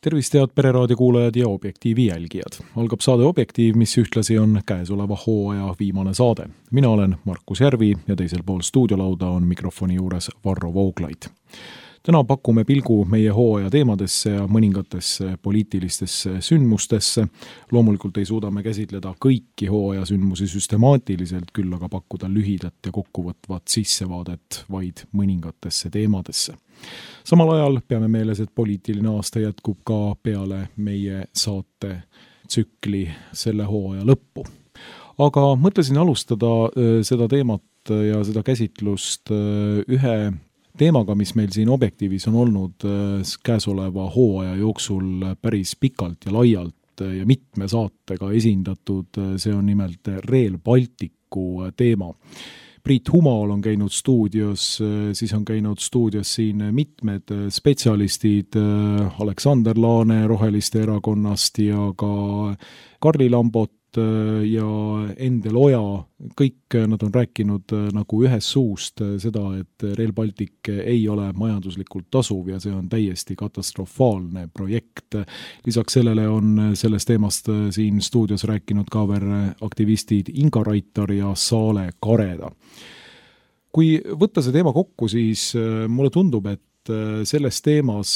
Tervist head Pereraadio kuulajad ja Objektiivi jälgijad. Algab saade Objektiiv, mis ühtlasi on käesoleva hooaja viimane saade. Mina olen Markus Järvi ja teisel pool stuudiolauda on mikrofoni juures Varro Vooglaid. Täna pakume pilgu meie hooaja teemadesse ja mõningatesse poliitilistesse sündmustesse. Loomulikult ei suuda me käsitleda kõiki hooaja sündmusi süstemaatiliselt, küll aga pakkuda lühidat ja kokkuvõtvat sissevaadet vaid mõningatesse teemadesse. Samal ajal peame meeles, et poliitiline aasta jätkub ka peale meie saate tsükli selle hooaja lõppu. Aga mõtlesin alustada seda teemat ja seda käsitlust ühe teemaga, mis meil siin Objektiivis on olnud käesoleva hooaja jooksul päris pikalt ja laialt ja mitme saatega esindatud. See on nimelt Rail Balticu teema. Priit Humal on käinud stuudios, siis on käinud stuudios siin mitmed spetsialistid, Aleksander Laane Roheliste erakonnast ja ka Karli Lambot ja Endel Oja. Kõik nad on rääkinud nagu ühes suust seda, et Rail Baltic ei ole majanduslikult tasuv ja see on täiesti katastrofaalne projekt. Lisaks sellele on sellest teemast siin stuudios rääkinud ka veel aktivistid Inga Raitar ja Saale Kareda. Kui võtta see teema kokku, siis mulle tundub, et selles teemas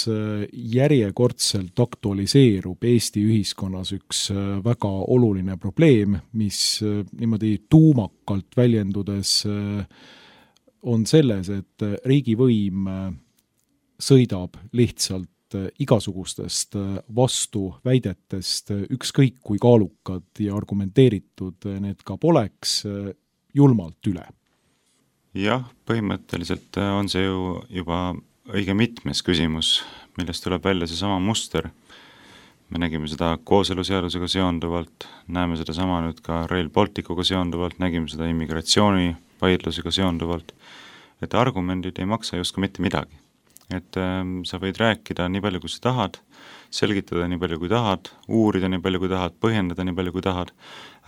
järjekordselt aktualiseerub Eesti ühiskonnas üks väga oluline probleem, mis niimoodi tuumakalt väljendudes on selles, et riigivõim sõidab lihtsalt igasugustest vastuväidetest, ükskõik kui kaalukad ja argumenteeritud need ka poleks, julmalt üle. Jah, põhimõtteliselt on see ju juba õige mitmes küsimus, millest tuleb välja see sama muster. Me nägime seda kooseluseadusega seonduvalt, näeme seda sama nüüd ka Rail Balticuga seonduvalt, nägime seda immigratsiooni vaidlusega seonduvalt, et argumendid ei maksa justkui mitte midagi. Et sa võid rääkida nii palju, kui sa tahad, selgitada nii palju, kui tahad, uurida nii palju, kui tahad, põhjendada nii palju, kui tahad,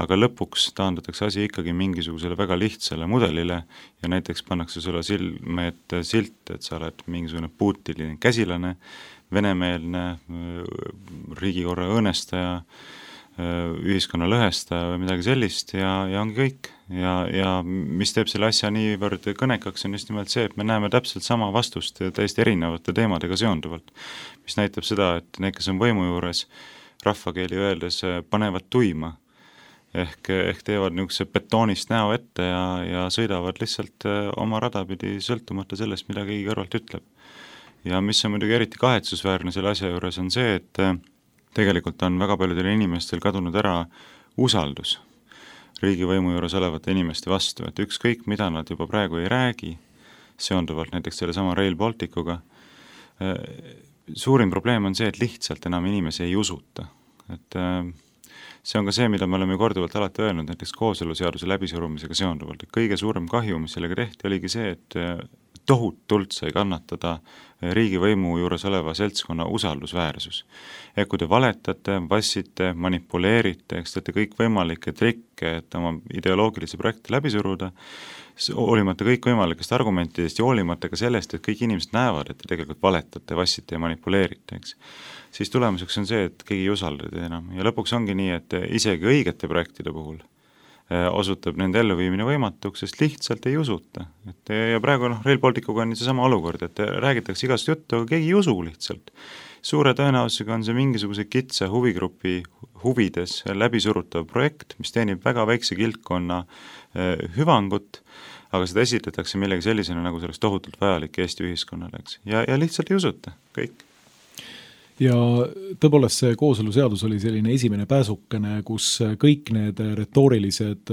aga lõpuks taandatakse asi ikkagi mingisugusele väga lihtsale mudelile ja näiteks pannakse sulle silme ette silt, et sa oled mingisugune Putini käsilane, venemeelne, riigikorra õõnestaja, ühiskonna lõhestaja või midagi sellist ja ongi kõik. Ja mis teeb selle asja niivõrd kõnekaks on just nimelt see, et me näeme täpselt sama vastust täiesti erinevate teemadega seonduvalt, mis näitab seda, et need, kes on võimu juures, rahvakeeli öeldes panevad tuima ehk teevad niisuguse betoonist näo ette ja sõidavad lihtsalt oma radapidi sõltumata sellest, mida keegi kõrvalt ütleb. Ja mis on muidugi eriti kahetsusväärne selle asja juures on see, et tegelikult on väga paljudel inimestel kadunud ära usaldus riigivõimu juures olevate inimeste vastu, et ükskõik mida nad juba praegu ei räägi, seonduvalt näiteks selle sama Rail Balticuga, suurim probleem on see, et lihtsalt enam inimesi ei usuta. Et see on ka see, mida me oleme korduvalt alati öelnud, näiteks kooseluseaduse läbisurumisega seonduvalt, et kõige suurem kahju, mis sellega tehti, oligi see, et tohutult sai kannatada riigivõimu juures oleva seltskonna usaldusväärsus. Ja kui te valetate, vassite, manipuleerite, eks teete kõik võimalikke trikke, et oma ideoloogilisi projekte läbi suruda, hoolimata kõik võimalikest argumentidest ja hoolimata ka sellest, et kõik inimesed näevad, et te tegelikult valetate, vassite ja manipuleerite, eks. Siis tulemuseks on see, et keegi ei usalda enam. Ja lõpuks ongi nii, et isegi õigete projektide puhul osutab nende elluviimine võimatuks, sest lihtsalt ei usuta. Ja praegu Rail Balticuga on see sama olukord, et räägitakse igast juttu, aga keegi ei usu lihtsalt. Suure tõenäosusega on see mingisuguse kitsa huvigrupi huvides läbisurutav projekt, mis teenib väga väikse kildkonna hüvangut, aga seda esitletakse millegi sellisena, nagu sellest tohutult vajalik Eesti ühiskonnale. Ja lihtsalt ei usuta, kõik. Ja tõepoolest see kooseluseadus oli selline esimene pääsukene, kus kõik need retoorilised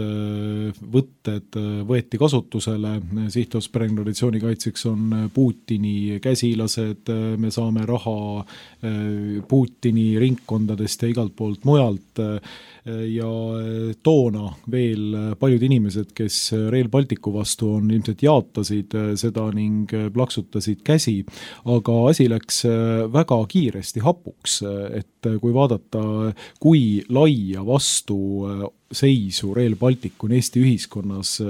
võtted võeti kasutusele. Sihtotstarbelise traditsiooni kaitseks on Putini käsilased, me saame raha Putini ringkondadest ja igalt poolt mujalt. Ja toona veel paljud inimesed, kes Rail Balticu vastu on, ilmselt jaatasid seda ning plaksutasid käsi, aga asi läks väga kiiresti täiesti hapuks, et kui vaadata, kui laia vastu seisu Rail Baltic on Eesti ühiskonnas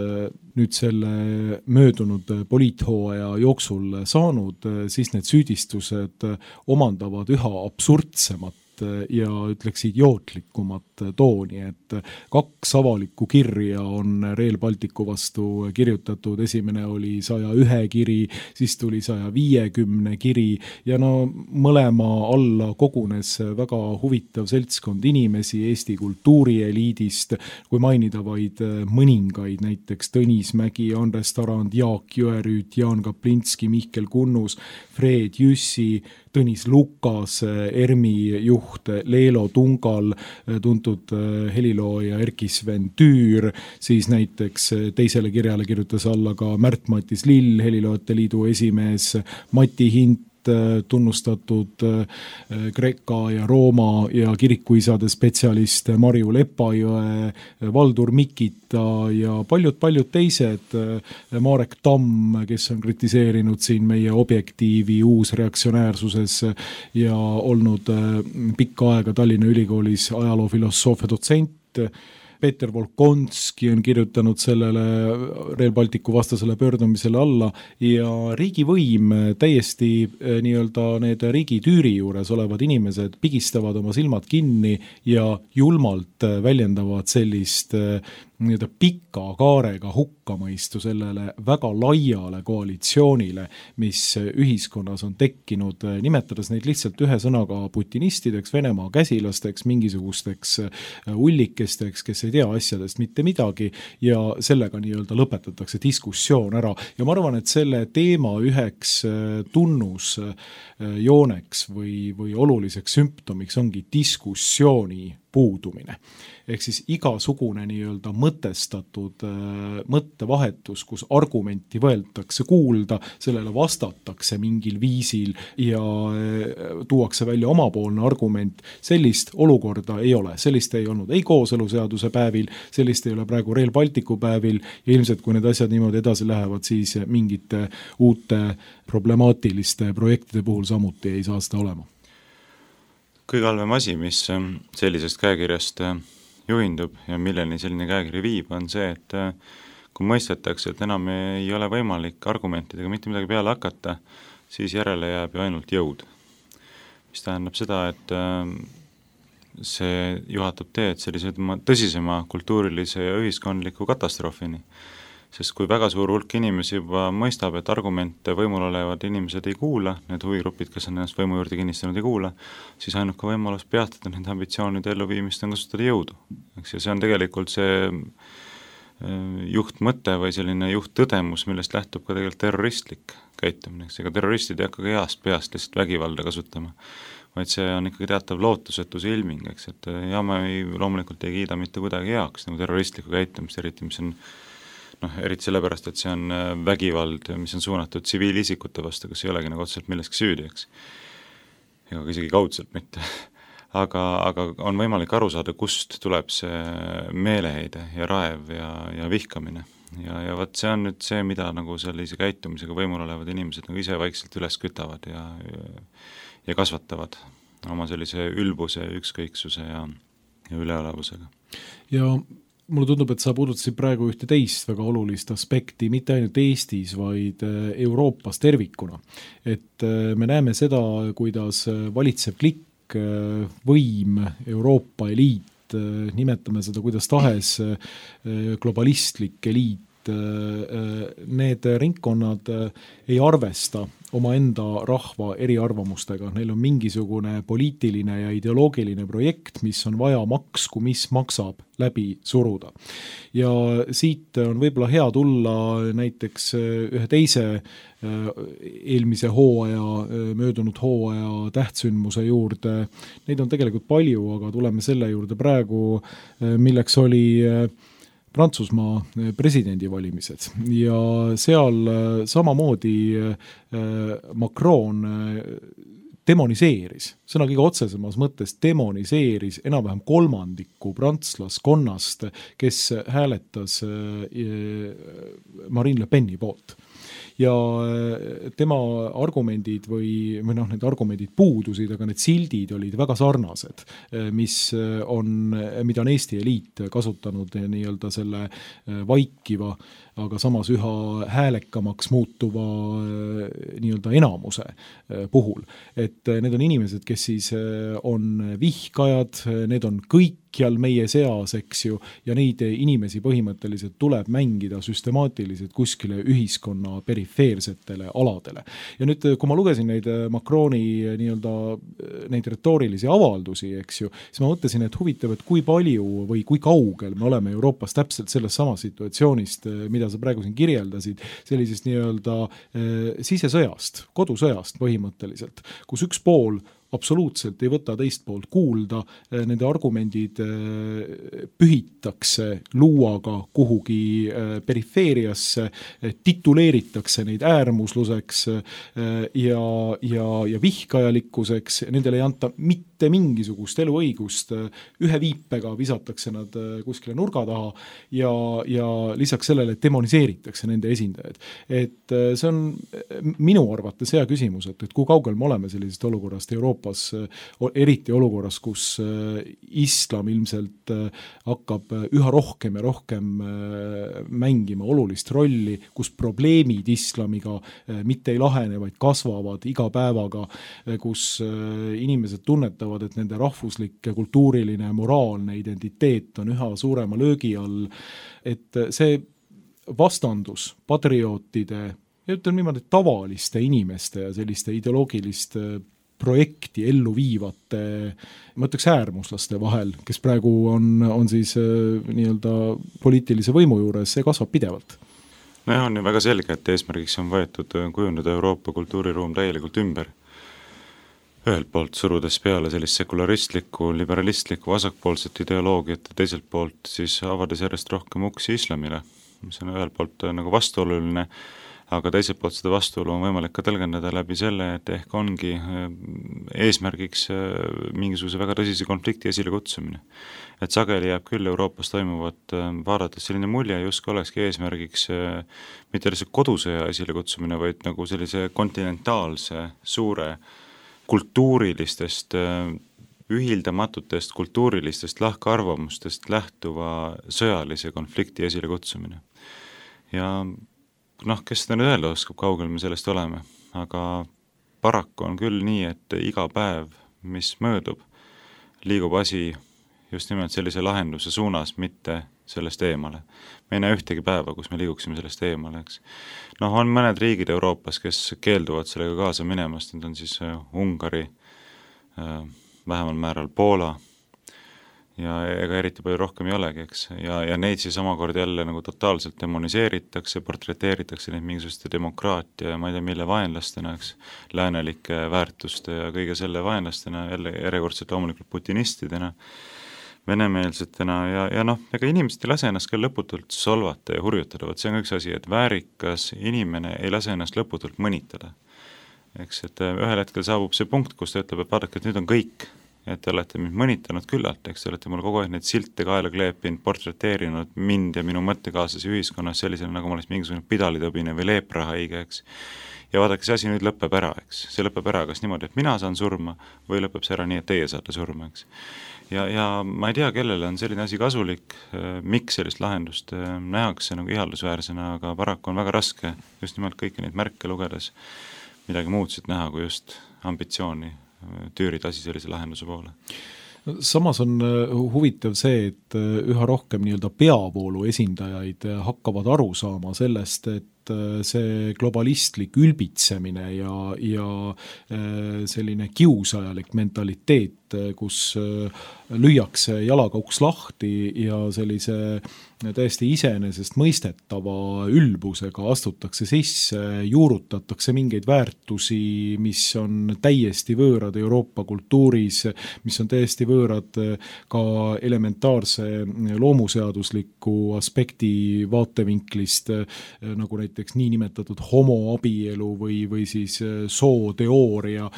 nüüd selle möödunud poliithooaja jooksul saanud, siis need süüdistused omandavad üha absurdsemat ja ütleks idiootlikumat tooni, et 2 avalikku kirja on Rail Balticu vastu kirjutatud, esimene oli 101 kiri, siis tuli 150 kiri ja no mõlema alla kogunes väga huvitav seltskond inimesi Eesti kultuurieliidist, kui mainida vaid mõningaid, näiteks Tõnis Mägi, Andres Tarand, Jaak Jõerüüt, Jaan Kaplinski, Mihkel Kunnus, Fred Jüssi, Tõnis Lukas, ERMi juht Leelo Tungal, tuntud helilooja Erkki-Sven Tüür, siis näiteks teisele kirjale kirjutas alla ka Märt-Matis Lill, Heliloojate Liidu esimees, Mati Hint, tunnustatud Kreeka ja Rooma ja kirikuisade spetsialist Marju Lepajõe, Valdur Mikita ja paljud teised, Marek Tamm, kes on kritiseerinud siin meie Objektiivi uusreaktsionäärsuses ja olnud pikka aega Tallinna Ülikoolis ajaloofilosoofia dotsent. Peeter Volkonski on kirjutanud sellele Rail Balticu vastasele pöördumisele alla ja riigivõim täiesti nii-öelda need riigitüüri juures olevad inimesed pigistavad oma silmad kinni ja julmalt väljendavad sellist nii-öelda pika kaarega hukkamõistu sellele väga laiale koalitsioonile, mis ühiskonnas on tekkinud, nimetades neid lihtsalt ühe sõnaga putinistideks, Venemaa käsilasteks, mingisugusteks ullikesteks, kes ei tea asjadest mitte midagi ja sellega nii-öelda lõpetatakse diskussioon ära. Ja ma arvan, et selle teema üheks tunnusjooneks või oluliseks sümptomiks ongi diskussiooni puudumine. Ehk siis igasugune nii-öelda mõtestatud mõttevahetus, kus argumenti võetakse kuulda, sellele vastatakse mingil viisil ja tuuakse välja omapoolne argument, sellist olukorda ei ole. Sellist ei olnud ei kooseluseaduse päevil, sellist ei ole praegu Rail Balticu päevil ja ilmselt kui need asjad niimoodi edasi lähevad, siis mingite uute problemaatiliste projektide puhul samuti ei saa seda olema. Kõige halvem asi, mis sellisest käekirjast juhindub ja milleni selline käekiri viib, on see, et kui mõistetakse, et enam ei ole võimalik argumentidega mitte midagi peale hakata, siis järele jääb ju ainult jõud. Mis tähendab seda, et see juhatab teed sellise tõsisema kultuurilise ja ühiskondliku katastroofini. Sest kui väga suur hulk inimesi juba mõistab, et argumente võimul olevad inimesed ei kuula, need huvigrupid, kes on ennast võimu juurde kinnistanud ei kuula, siis ainuke võimalus peatada nende ambitsioonide elluviimist on kasutada jõudu. Ja see on tegelikult see juhtmõte või selline juhttõdemus, millest lähtub ka tegelikult terroristlik käitumine. Ega terroristid ei hakka heast peast lihtsalt vägivalda kasutama, vaid see on ikkagi teatav lootusetuse ilming, eks, et ja ma loomulikult ei kiida mitte kuidagi heaks nagu terroristlikku käitumist, eriti mis on eriti sellepärast, et see on vägivald, mis on suunatud tsiviilisikute vastu, kes ei olegi nagu otseselt milleski süüdi, eks. Ega isegi kaudselt mitte. Aga on võimalik aru saada, kust tuleb see meeleheide ja raev ja vihkamine. Ja võt see on nüüd see, mida nagu sellise käitumisega võimul olevad inimesed nagu ise vaikselt üles kütavad ja kasvatavad oma sellise ülbuse, ükskõiksuse ja üleolevusega. Ja mulle tundub, et sa puudutasid praegu ühte teist väga olulist aspekti, mitte ainult Eestis, vaid Euroopas tervikuna. Et me näeme seda, kuidas valitsev klikk, võim, Euroopa eliit, nimetame seda kuidas tahes, globalistlik eliit, need ringkonnad ei arvesta omaenda rahva eriarvamustega. Neil on mingisugune poliitiline ja ideoloogiline projekt, mis on vaja maksku, mis maksab läbi suruda. Ja siit on võib-olla hea tulla näiteks ühe teise eelmise hooaja, möödunud hooaja tähtsündmuse juurde. Neid on tegelikult palju, aga tuleme selle juurde praegu, milleks oli Prantsusmaa presidendivalimised ja seal samamoodi Macron demoniseeris, sõna kõige otsesemas mõttes demoniseeris enam-vähem kolmandiku prantslaskonnast, kes hääletas Marine Le Peni poolt. ja tema argumendid või need argumendid puudusid, aga need sildid olid väga sarnased, mida on Eesti eliit kasutanud nii-öelda selle vaikiva, aga samas üha häälekamaks muutuva nii-öelda enamuse puhul. Et need on inimesed, kes siis on vihkajad, need on kõikjal meie seas, eks ju, ja neid inimesi põhimõtteliselt tuleb mängida süstemaatiliselt kuskile ühiskonna perifeersetele aladele. Ja nüüd, kui ma lugesin neid Macroni nii-öelda neid retoorilisi avaldusi, eks ju, siis ma mõtlesin, et huvitav, et kui palju või kui kaugel me oleme Euroopas täpselt selles samas situatsioonist, mida sa praegu siin kirjeldasid, sellisest nii-öelda sisesõjast, kodusõjast põhimõtteliselt, kus üks pool absoluutselt ei võta teist poolt kuulda, nende argumendid pühitakse luuaga kuhugi perifeeriasse, tituleeritakse neid äärmusluseks ja vihkajalikkuseks, nendele ei anta mitte mingisugust eluõigust, ühe viipega visatakse nad kuskile nurga taha ja lisaks sellele demoniseeritakse nende esindajaid. Et see on minu arvates hea küsimus, et kui kaugel me oleme sellisest olukorrast Euroopas, eriti olukorras, kus islam ilmselt hakkab üha rohkem ja rohkem mängima olulist rolli, kus probleemid islamiga mitte ei lahene, vaid kasvavad iga päevaga, kus inimesed tunnetavad, et nende rahvuslik, kultuuriline, moraalne identiteet on üha suurema löögi all, et see vastandus patriootide ja ütleme niimoodi tavaliste inimeste ja selliste ideoloogiliste projekti ellu viivate, ma ütleks äärmuslaste vahel, kes praegu on siis nii-öelda poliitilise võimu juures, see kasvab pidevalt. No on ju väga selge, et eesmärgiks on võetud kujundada Euroopa kultuuriruum täielikult ümber. Ühelt poolt surudes peale sellist sekularistlikku, liberalistlikku, vasakpoolset ideoloogiat ja teiselt poolt siis avades järjest rohkem uksi islamile, mis on ühelt poolt nagu vastuoluline, aga teiselt poolt seda vastuolu on võimalik ka tõlgendada läbi selle, et ehk ongi eesmärgiks mingisuguse väga tõsise konflikti esile kutsumine. Et sageli jääb küll Euroopas toimuvat vaadates selline mulje, justkui olekski eesmärgiks mitte lihtsalt kodusõja esile kutsumine, vaid nagu sellise kontinentaalse suure kultuurilistest ühildamatutest kultuurilistest lahkarvamustest lähtuva sõjalise konflikti esile kutsumine. Ja kes seda nüüd öelda oskab, kaugel me sellest oleme, aga paraku on küll nii, et iga päev, mis möödub, liigub asi just nimelt sellise lahenduse suunas, mitte sellest eemale. Me ei näe ühtegi päeva, kus me liiguksime sellest eemale, eks. On mõned riigid Euroopas, kes keelduvad sellega kaasa minemast, need on siis Ungari, vähemal määral Poola, ja ega eriti palju rohkem ei olegi, eks, ja neid siis omakord jälle nagu totaalselt demoniseeritakse, portreteeritakse neid mingisuguste demokraatia ja ma ei tea mille vaenlastena, eks, läänelike väärtuste ja kõige selle vaenlastena, jälle järjekordselt loomulikult putinistidena, venemeelsetena ja ega inimesed ei lase ennast ka lõputult solvata ja hurjutada, see on üks asi, et väärikas inimene ei lase ennast lõputult mõnitada, eks, et ühel hetkel saabub see punkt, kus ta ütleb, et vaadake, et nüüd on kõik, et te olete mind mõnitanud küllalt, eks te olete mul kogu aeg neid silte kaela kleepinud, portreteerinud mind ja minu mõttekaaslasi ühiskonnas sellisena, nagu ma oleks mingisugune pidalitõbine või leeprahaige, eks. Ja vaadake, see asi nüüd lõpeb ära, eks. See lõpeb ära kas niimoodi, et mina saan surma või lõpeb see ära nii, et teie saate surma, eks. Ja ma ei tea, kellele on selline asi kasulik, miks sellist lahendust nähakse nagu ihaldusväärsena, aga paraku on väga raske just nimelt kõiki neid märke lugedes midagi muud siit näha kui just ambitsiooni tüürid asi sellise lahenduse poole. Samas on huvitav see, et üha rohkem nii-öelda peavoolu esindajaid hakkavad aru saama sellest, et see globalistlik ülbitsemine ja selline kiusajalik mentaliteet, kus lüüakse jalaga uks lahti ja sellise täiesti iseenesest mõistetava ülbusega astutakse sisse, juurutatakse mingeid väärtusi, mis on täiesti võõrad Euroopa kultuuris, mis on täiesti võõrad ka elementaarse loomuseadusliku aspekti vaatevinklist, nagu näiteks näiteks niinimetatud homoabielu või siis sooteooria,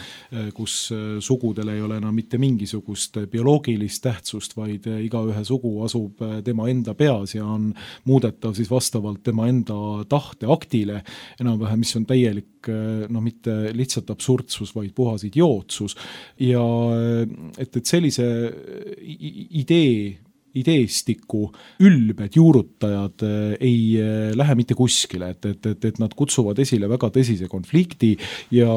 kus sugudel ei ole enam mitte mingisugust bioloogilist tähtsust, vaid igaühe sugu asub tema enda peas ja on muudetav siis vastavalt tema enda tahteaktile, enam-vähem, mis on täielik mitte lihtsalt absurdsus, vaid puhas idiootsus. Ja et sellise ideestiku ülbed juurutajad ei lähe mitte kuskile, et nad kutsuvad esile väga tõsise konflikti ja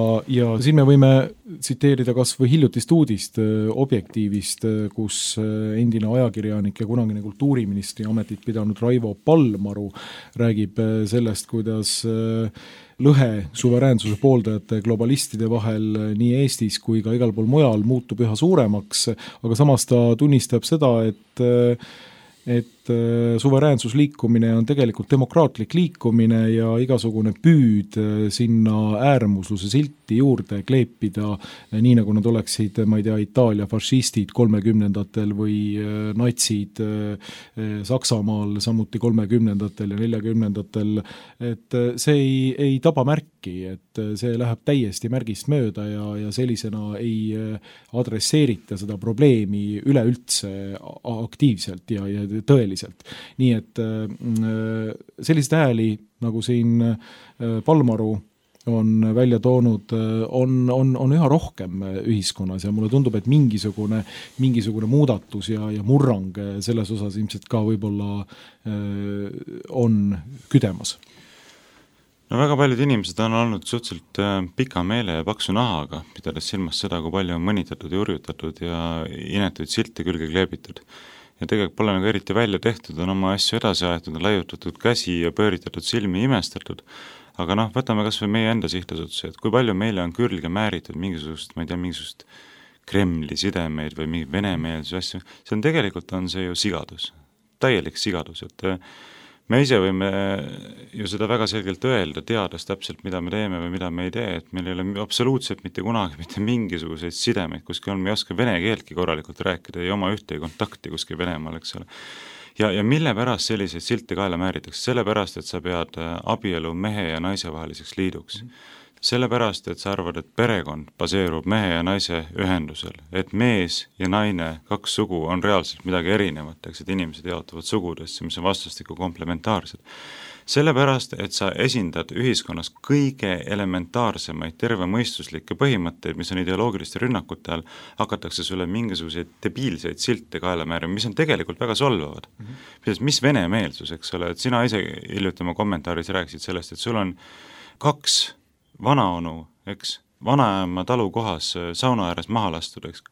siin me võime tsiteerida kas või hiljutist uudist Objektiivist, kus endine ajakirjanik ja kunagine kultuuriministri ametit pidanud Raivo Palmaru räägib sellest, kuidas lõhe suveräänsuse pooldajate globalistide vahel nii Eestis kui ka igal pool mujal muutub üha suuremaks, aga samas ta tunnistab seda, et suveräänsusliikumine on tegelikult demokraatlik liikumine ja igasugune püüd sinna äärmusluse silti juurde kleepida, nii nagu nad oleksid, ma ei tea, Itaalia fašistid 30-ndatel või natsid Saksamaal samuti 30-ndatel ja 40-ndatel, et see ei taba märki, et see läheb täiesti märgist mööda ja sellisena ei adresseerita seda probleemi üleüldse aktiivselt ja tõeliselt. Nii et sellised hääli, nagu siin Palmaru on välja toonud, on üha rohkem ühiskonnas ja mulle tundub, et mingisugune muudatus ja murrang selles osas ilmselt ka võib-olla on küdemas. No väga paljud inimesed on olnud suhteliselt pika meele ja paksu nahaga, pidades silmas seda, kui palju on mõnitatud ja urjutatud ja inetuid silte külge kleebitud. Ja tegelikult pole nagu eriti välja tehtud, on oma asju edasi aetud, on laiutatud käsi ja pööritatud silmi imestatud, aga võtame kas või meie enda sihtasutuse, et kui palju meile on külge määritud mingisugust, ma ei tea, mingisugust Kremli sidemeid või mingi venemeelsuse asju, see on tegelikult see ju sigadus, täielik sigadus, et me ise võime ju seda väga selgelt öelda, teades täpselt, mida me teeme või mida me ei tee, et meil ei ole absoluutselt mitte kunagi mitte mingisuguseid sidemeid kuskil on, me ei oska vene keeltki korralikult rääkida, ei oma ühtegi kontakti kuskil Venemaal, eks ole. Ja mille pärast selliseid silte kaela määritakse? Sellepärast, et sa pead abielu mehe ja naise vaheliseks liiduks. Sellepärast, et sa arvad, et perekond baseerub mehe ja naise ühendusel, et mees ja naine, kaks sugu on reaalselt midagi erinevat, et inimesed jaotuvad sugudesse, mis on vastastikku komplementaarsed. Sellepärast, et sa esindad ühiskonnas kõige elementaarsemaid tervemõistuslikke põhimõtteid, mis on ideoloogiliste rünnakute all, hakatakse sulle mingisuguseid debiilseid silte kaela määrima, mis on tegelikult väga solvavad. Mis venemeelsus, eks ole, et sina ise hiljuti oma kommentaaris rääkisid sellest, et sul on 2 vanaonu, eks, vanaema talu kohas sauna ääres maha lastud, eks,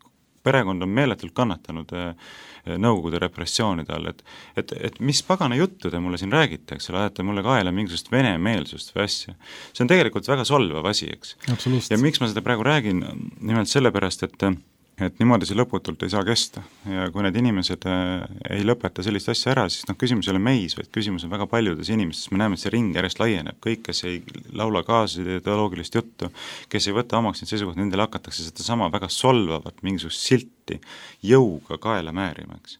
perekond on meeletult kannatanud Nõukogude repressioonide all, et mis pagana juttu te mulle siin räägite, eks ole, ajate mulle kaela mingisugust venemeelsust või asja. See on tegelikult väga solvav asi, eks. Ja miks ma seda praegu räägin, nimelt sellepärast, et niimoodi see lõputult ei saa kesta ja kui need inimesed ei lõpeta sellist asja ära, siis küsimus ei ole meis, vaid küsimus on väga paljudes inimestes, me näeme, et see ring järjest laieneb, kõik, kes ei laula kaasa ideoloogilist juttu, kes ei võta omaks neid seisukohti, nendele hakatakse seda sama väga solvavat mingisugust silti jõuga kaela määrima, eks.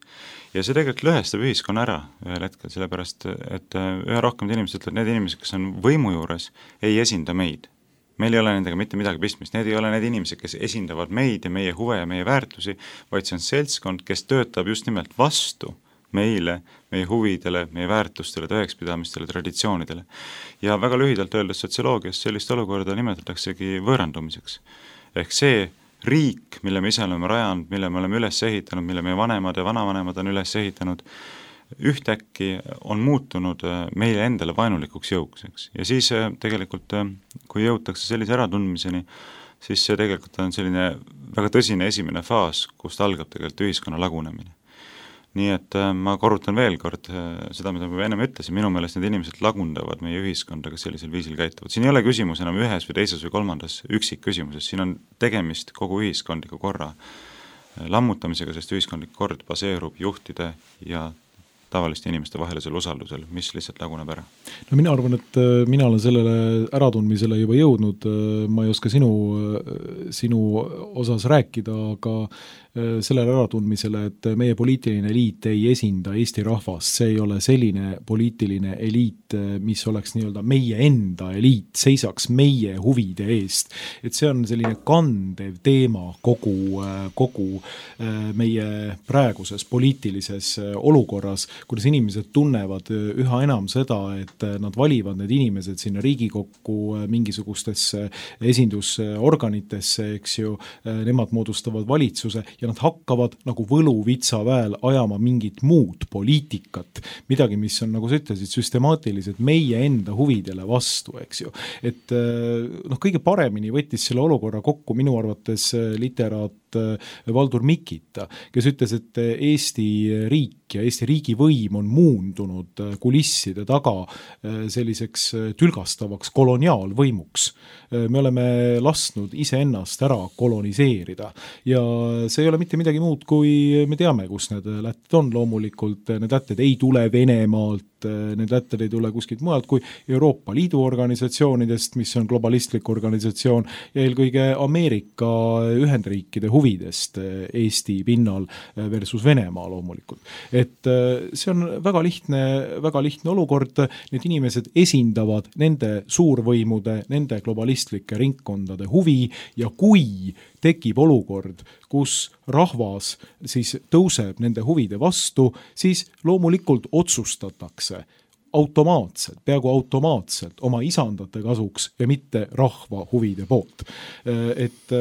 Ja see tegelikult lõhestab ühiskonna ära ühel hetkel, sellepärast, et üha rohkem inimesed ütlevad, need inimesed, kes on võimu juures, ei esinda meid. Meil ei ole nendega mitte midagi pistmist, need ei ole need inimesed, kes esindavad meid ja meie huve ja meie väärtusi, vaid see on seltskond, kes töötab just nimelt vastu meile, meie huvidele, meie väärtustele, tõekspidamistele, traditsioonidele. Ja väga lühidalt öeldes sotsioloogias sellist olukorda nimetataksegi võõrandumiseks. Ehk see riik, mille me ise oleme rajanud, mille me oleme üles ehitanud, mille meie vanemad ja vanavanemad on üles ehitanud, ühtäkki on muutunud meile endale vaenulikuks jõuks, eks. Ja siis tegelikult, kui jõutakse sellise äratundmiseni, siis see tegelikult on selline väga tõsine esimene faas, kust algab tegelikult ühiskonna lagunemine. Nii et ma korrutan veel kord seda, mida ma ennem ütlesin, minu meelest need inimesed lagundavad meie ühiskondaga sellisel viisil käituvad. Siin ei ole küsimus enam ühes või teises või kolmandas üksik küsimuses, siin on tegemist kogu ühiskondliku korra lammutamisega, sest ühiskondlik kord baseerub juhtide ja tavaliste inimeste vahelisel usaldusel, mis lihtsalt laguneb ära? No mina arvan, et mina olen sellele äratundmisele juba jõudnud, ma ei oska sinu osas rääkida, aga sellele äratundmisele, et meie poliitiline eliit ei esinda Eesti rahvast, see ei ole selline poliitiline eliit, mis oleks nii-öelda meie enda eliit, seisaks meie huvide eest. Et see on selline kandev teema kogu meie praeguses poliitilises olukorras, kuidas inimesed tunnevad üha enam seda, et nad valivad need inimesed sinna Riigikokku mingisugustesse esindusorganitesse, eks ju, nemad moodustavad valitsuse ja nad hakkavad nagu võluvitsaväel ajama mingit muud poliitikat, midagi, mis on, nagu sa ütlesid, süstemaatiliselt meie enda huvidele vastu, eks ju. Et kõige paremini võttis selle olukorra kokku minu arvates literaat Valdur Mikita, kes ütles, et Eesti riik ja Eesti riigivõim on muundunud kulisside taga selliseks tülgastavaks koloniaalvõimuks. Me oleme lasknud iseennast ära koloniseerida ja see ei ole mitte midagi muud, kui me teame, kus need lätted on. Loomulikult need lätted ei tule Venemaalt, need lätted ei tule kuskilt mujalt kui Euroopa Liidu organisatsioonidest, mis on globalistlik organisatsioon ja eelkõige Ameerika Ühendriikide huvidest Eesti pinnal versus Venemaa loomulikult. Et see on väga lihtne olukord, need inimesed esindavad nende suurvõimude, nende globalistlikke ringkondade huvi ja kui tekib olukord, kus rahvas siis tõuseb nende huvide vastu, siis loomulikult otsustatakse peaaegu automaatselt oma isandate kasuks ja mitte rahva huvide poolt. Et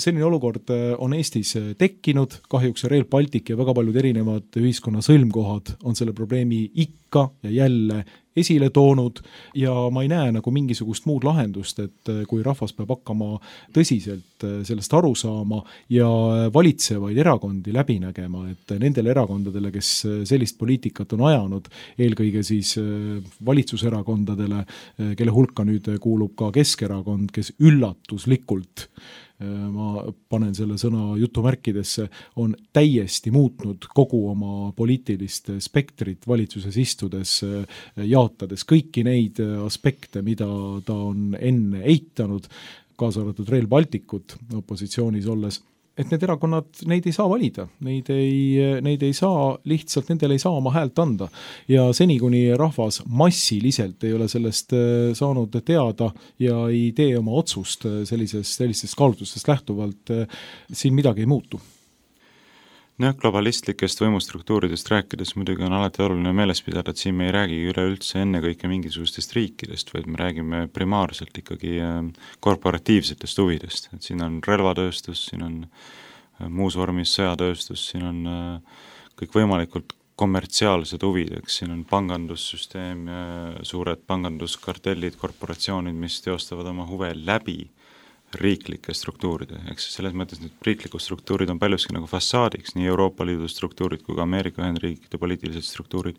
selline olukord on Eestis tekkinud, kahjuks Rail Baltic ja väga paljud erinevad ühiskonna sõlmkohad on selle probleemi ikka ja jälle esile toonud ja ma ei näe nagu mingisugust muud lahendust, et kui rahvas peab hakkama tõsiselt sellest aru saama ja valitsevaid erakondi läbi nägema, et nendele erakondadele, kes sellist poliitikat on ajanud, eelkõige siis valitsuserakondadele, kelle hulka nüüd kuulub ka Keskerakond, kes üllatuslikult ma panen selle sõna jutumärkidesse, on täiesti muutnud kogu oma poliitilist spektrit valitsuses istudes, jaotades kõiki neid aspekte, mida ta on enne eitanud, kaasa arvatud Rail Balticut opositsioonis olles, et need erakonnad, neid ei saa valida, neid ei saa, lihtsalt nendele ei saa oma häält anda. Ja seni, kuni rahvas massiliselt ei ole sellest saanud teada ja ei tee oma otsust sellistest kaalutlustest lähtuvalt, siin midagi ei muutu. Globalistlikest võimustruktuuridest rääkides muidugi on alati oluline meeles pidada, et siin me ei räägi üleüldse ennekõike mingisugustest riikidest, vaid me räägime primaarselt ikkagi korporatiivsetest huvidest. Et siin on relvatööstus, siin on muus vormis sõjatööstus, siin on kõik võimalikult kommertsiaalsed huvid, eks siin on pangandussüsteem, suured panganduskartellid, korporatsioonid, mis teostavad oma huve läbi riiklike struktuuride, eks selles mõttes need riiklikud struktuurid on paljuski nagu fassaadiks, nii Euroopa Liidu struktuurid kui ka Ameerika Ühendriikide poliitilised struktuurid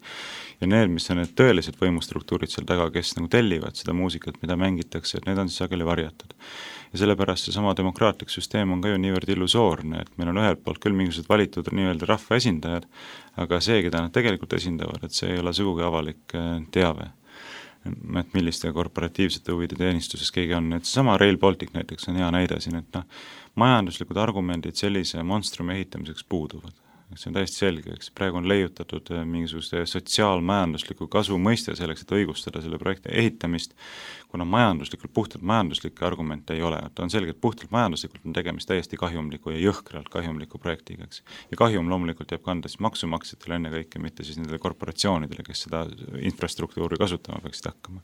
ja need, mis on need tõelised võimustruktuurid seal taga, kes nagu tellivad seda muusikat, mida mängitakse, et need on siis sageli varjatud. Ja sellepärast see sama demokraatlik süsteem on ka ju niivõrd illusoorne, et meil on ühelt poolt küll mingisugused valitud nii-öelda rahva esindajad, aga see, keda nad tegelikult esindavad, et see ei ole sugugi avalik teave, et milliste korporatiivsete huvide teenistuses keegi on. Et sama Rail Baltic näiteks on hea näide siin, et majanduslikud argumendid sellise monstrumi ehitamiseks puuduvad. See on täiesti selge, eks praegu on leiutatud mingisuguste sotsiaalmajandusliku kasu mõiste selleks, et õigustada selle projekti ehitamist, kuna puhtalt majanduslikke argumente ei ole. On selge, et puhtalt majanduslikult on tegemist täiesti kahjumliku ja jõhkralt kahjumliku projektiga, eks. Ja kahjum loomulikult jääb kanda siis maksumaksjatele enne kõike, mitte siis nendele korporatsioonidele, kes seda infrastruktuuri kasutama peaksid hakkama.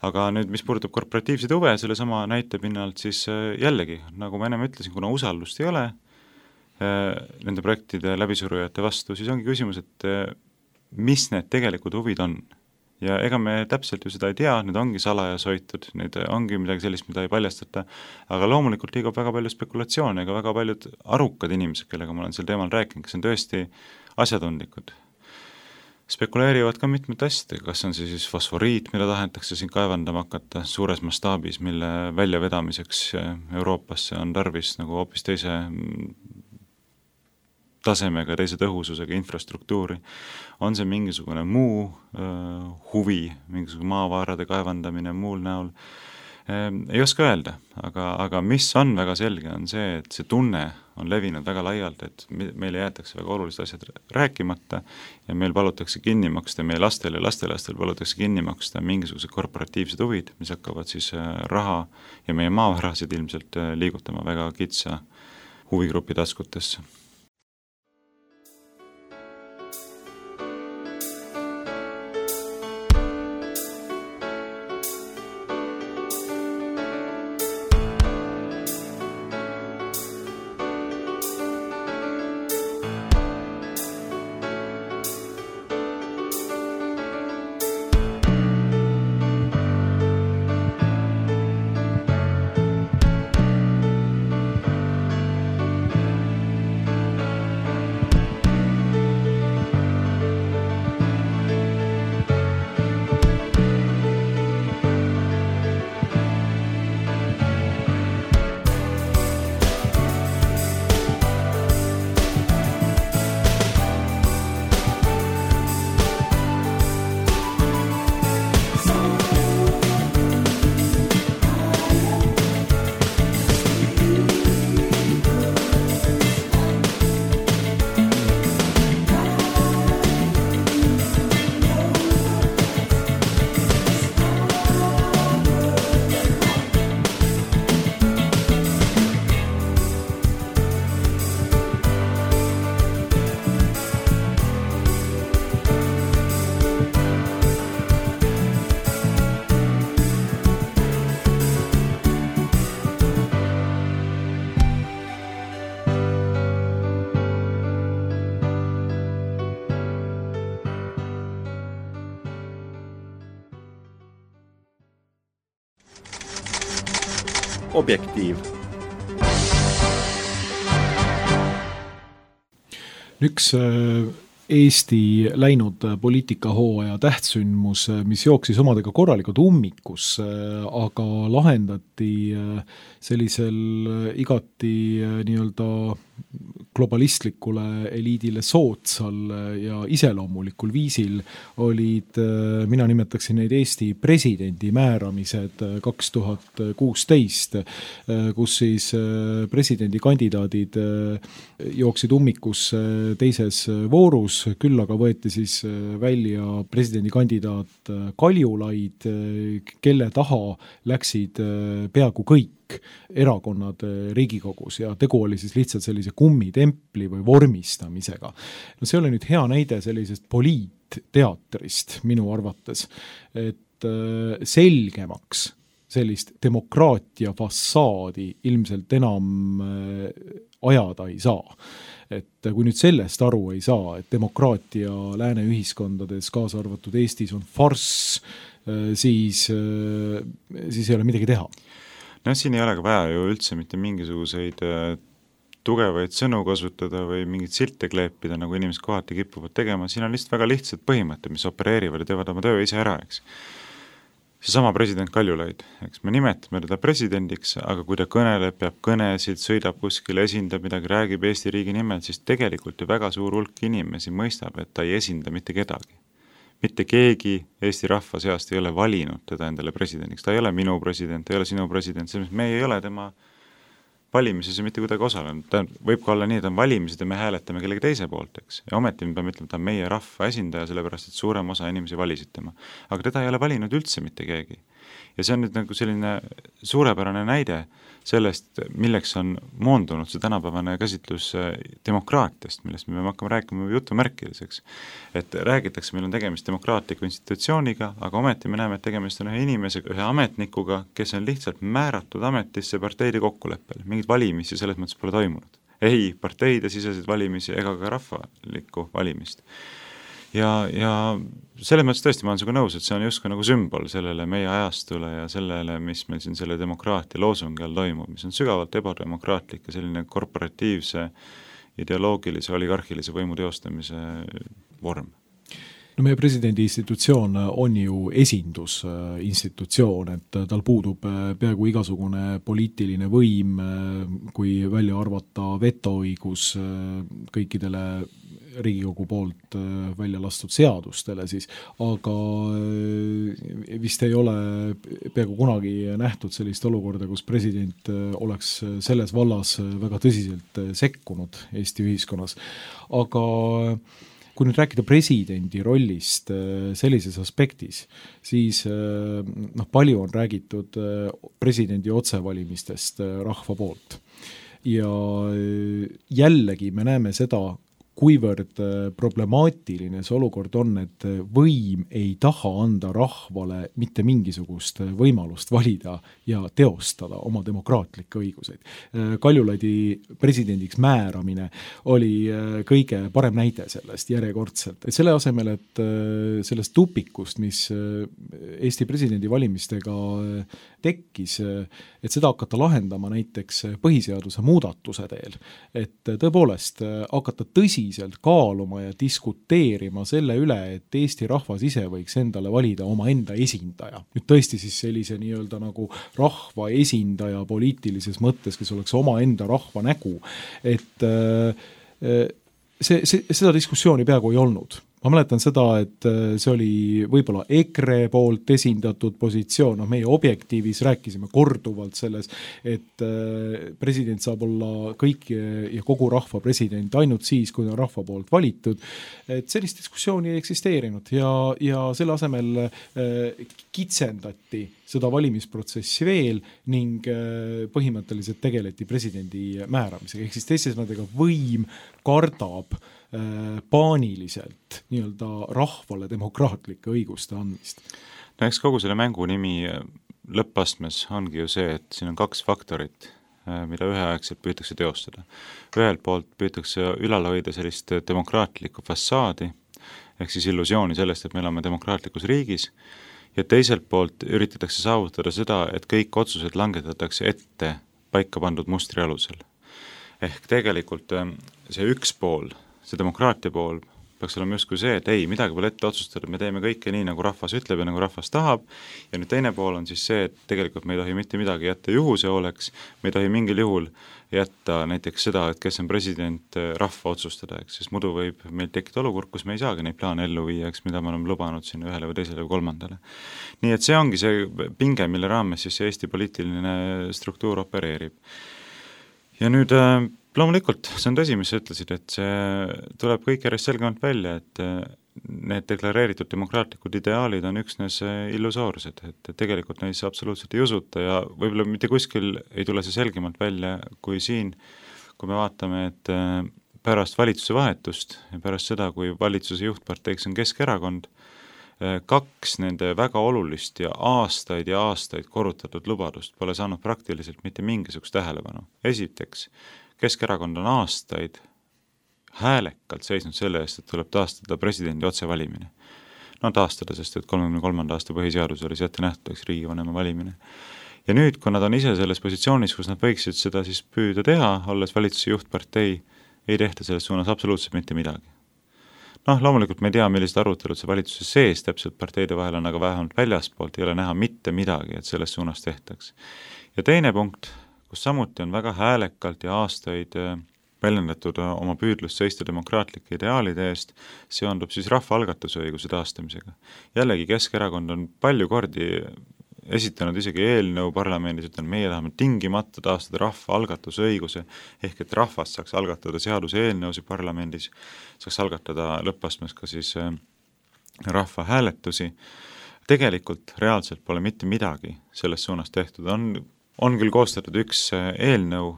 Aga nüüd, mis puudutab korporatiivseid huve, selle sama näite pinnalt, siis jällegi, nagu ma ennem ütlesin, kuna usaldust ei ole nende projektide läbisurujate vastu, siis ongi küsimus, et mis need tegelikud huvid on. Ja ega me täpselt ju seda ei tea, need ongi salajas hoitud, need ongi midagi sellist, mida ei paljastata, aga loomulikult liigub väga palju spekulatsioone, ega väga paljud arukad inimesed, kellega ma olen sel teemal rääkinud, kes on tõesti asjatundlikud. Spekuleerivad ka mitmed asjad, kas on see siis fosforiit, mida tahetakse siin kaevandama hakata suures mastaabis, mille väljavedamiseks Euroopasse on tarvis nagu hoopis teise tasemega, teise tõhususega infrastruktuuri, on see mingisugune muu huvi, mingisugune maavarade kaevandamine muul näol, ei oska öelda, aga mis on väga selge, on see, et see tunne on levinud väga laialt, et meile jäetakse väga olulised asjad rääkimata ja meil palutakse kinni maksta, meie lastel ja lastelastel palutakse kinni maksta mingisugused korporatiivsed huvid, mis hakkavad siis raha ja meie maavarasid ilmselt liigutama väga kitsa huvigrupi taskutesse. Objektiiv. Üks Eesti läinud poliitikahooaja tähtsündmus, mis jooksis omadega korralikult ummikus, aga lahendati sellisel igati nii-öelda globalistlikule eliidile sootsal ja iseloomulikul viisil olid, mina nimetaksin neid Eesti presidendi määramised 2016, kus siis presidendikandidaadid jooksid ummikus teises voorus, küll aga võeti siis välja presidendikandidaat Kaljulaid, kelle taha läksid peaaegu kõik erakonnad Riigikogus ja tegu oli siis lihtsalt sellise kummitempli või vormistamisega. No see oli nüüd hea näide sellisest poliitteatrist minu arvates, et selgemaks sellist demokraatia fassaadi ilmselt enam ajada ei saa. Et kui nüüd sellest aru ei saa, et demokraatia lääne ühiskondades, kaasa arvatud Eestis on farss, siis ei ole midagi teha. No siin ei ole ka vaja ju üldse mitte mingisuguseid tugevaid sõnu kasutada või mingid silte kleepida, nagu inimesed kohati kipuvad tegema. Siin on lihtsalt väga lihtsad põhimõtted, mis opereerivad ja teevad oma töö ise ära, eks. Seesama president Kaljulaid, eks me nimetame teda presidendiks, aga kui ta kõneleb, peab kõnesid, sõidab kuskil, esindab midagi, räägib Eesti riigi nimel, siis tegelikult ju väga suur hulk inimesi mõistab, et ta ei esinda mitte kedagi. Mitte keegi Eesti rahva seast ei ole valinud teda endale presidendiks. Ta ei ole minu president, ta ei ole sinu president. Me ei ole tema valimises ja mitte kuidagi osalenud. Ta võib ka olla nii, et on valimised ja me hääletame kellegi teise poolt, eks. Ja ometi me peame ütlema, et ta on meie rahva esindaja, sellepärast, et suurem osa inimesi valisid tema. Aga teda ei ole valinud üldse mitte keegi. Ja see on nüüd nagu selline suurepärane näide sellest, milleks on moondunud see tänapäevane käsitlus demokraatiast, millest me peame hakkama rääkima jutumärkideseks. Et räägitakse, meil on tegemist demokraatliku institutsiooniga, aga ometi me näeme, et tegemist on ühe inimesega, ühe ametnikuga, kes on lihtsalt määratud ametisse parteide kokkuleppel. Mingid valimisi selles mõttes pole toimunud. Ei parteide siseseid valimisi ega ka rahvalikku valimist. Ja selles mõttes tõesti ma olen sinuga nõus, et see on justkui nagu sümbol sellele meie ajastule ja sellele, mis meil siin selle demokraatia loosungi all toimub, mis on sügavalt ebademokraatlik ja selline korporatiivse, ideoloogilise, oligarhilise võimu teostamise vorm. No meie presidendi institutsioon on ju esindusinstitutsioon, et tal puudub peaaegu igasugune poliitiline võim, kui välja arvata vetoõigus kõikidele Riigikogu poolt välja lastud seadustele siis, aga vist ei ole peaaegu kunagi nähtud sellist olukorda, kus president oleks selles vallas väga tõsiselt sekkunud Eesti ühiskonnas. Aga kui nüüd rääkida presidendi rollist sellises aspektis, siis palju on räägitud presidendi otsevalimistest rahva poolt. Ja jällegi me näeme seda, kuivõrd problemaatiline see olukord on, et võim ei taha anda rahvale mitte mingisugust võimalust valida ja teostada oma demokraatlikke õiguseid. Kaljulaidi presidendiks määramine oli kõige parem näide sellest järjekordselt. Et selle asemel, et sellest tupikust, mis Eesti presidendi valimistega tekkis, et seda hakata lahendama näiteks põhiseaduse muudatuse teel, et tõepoolest hakata tõsiselt kaaluma ja diskuteerima selle üle, et Eesti rahvas ise võiks endale valida oma enda esindaja. Nüüd tõesti siis sellise nii-öelda nagu rahva esindaja poliitilises mõttes, kes oleks oma enda rahva nägu, et seda diskussiooni peaaegu ei olnud. Ma mäletan seda, et see oli võib-olla EKRE poolt esindatud positsioon, meie Objektiivis rääkisime korduvalt selles, et president saab olla kõik ja kogu rahva president ainult siis, kui on rahva poolt valitud, et sellist diskussiooni ei eksisteerinud ja selle asemel kitsendati seda valimisprotsessi veel ning põhimõtteliselt tegeleti presidendi määramisega, ehk siis teiste sõnadega võim kardab paaniliselt nii-öelda rahvale demokraatlike õiguste andmist. No eks kogu selle mängu nimi lõppastmes ongi ju see, et siin on kaks faktorit, mida üheaegselt püütakse teostada. Ühelt poolt püütakse ülal hoida sellist demokraatlikku fassaadi, ehk siis illusiooni sellest, et me oleme demokraatlikus riigis, ja teiselt poolt üritatakse saavutada seda, et kõik otsused langetatakse ette paika pandud mustri alusel. Ehk tegelikult see üks pool, see demokraatia pool peaks olema justkui see, et ei, midagi pole ette otsustada, me teeme kõike nii, nagu rahvas ütleb ja nagu rahvas tahab, ja nüüd teine pool on siis see, et tegelikult me ei tohi mitte midagi jätta juhuse oleks, me ei tohi mingil juhul jätta näiteks seda, et kes on president rahva otsustada, sest muidu võib meil tekkida olukord, kus me ei saagi neid plaane ellu viia, mida me oleme lubanud siin ühele või teisele või kolmandale. Nii et see ongi see pinge, mille raames siis Eesti poliitiline struktuur opereerib. Ja nüüd loomulikult, see on tõsi, mis sa ütlesid, et see tuleb kõik järjest selgemalt välja, et need deklareeritud demokraatlikud ideaalid on üksnes illusoorsed, et tegelikult neisse absoluutselt ei usuta ja võib-olla mitte kuskil ei tule see selgemalt välja kui siin, kui me vaatame, et pärast valitsuse vahetust ja pärast seda, kui valitsuse juhtparteiks on Keskerakond, kaks nende väga olulist ja aastaid korrutatud lubadust pole saanud praktiliselt mitte mingisugust tähelepanu. Esiteks, Keskerakond on aastaid häälekalt seisnud selle eest, et tuleb taastada presidendi otsevalimine. No taastada, sest et 33. aasta põhiseadus oli see ette nähtud riigivanema valimine. Ja nüüd, kui nad on ise selles positsioonis, kus nad võiksid seda siis püüda teha, olles valitsuse juhtpartei, ei tehta selles suunas absoluutselt mitte midagi. Loomulikult me ei tea, millised arutelud see valitsuse sees täpselt parteide vahel on, aga vähemalt väljaspoolt ei ole näha mitte midagi, et selles suunas tehtaks. Ja teine punkt, kus samuti on väga häälekalt ja aastaid väljendatud oma püüdlust seista demokraatlike ideaalide eest, seondub siis rahvaalgatuse õiguse taastamisega. Jällegi Keskerakond on palju kordi esitanud isegi eelnõu parlamendis, ütlen, meie tahame tingimata taastada rahvaalgatuse õiguse, ehk et rahvas saaks algatada seaduse eelnõusi parlamendis, saaks algatada lõppastmes ka siis rahva hääletusi. Tegelikult reaalselt pole mitte midagi selles suunas tehtud. On küll koostatud üks eelnõu,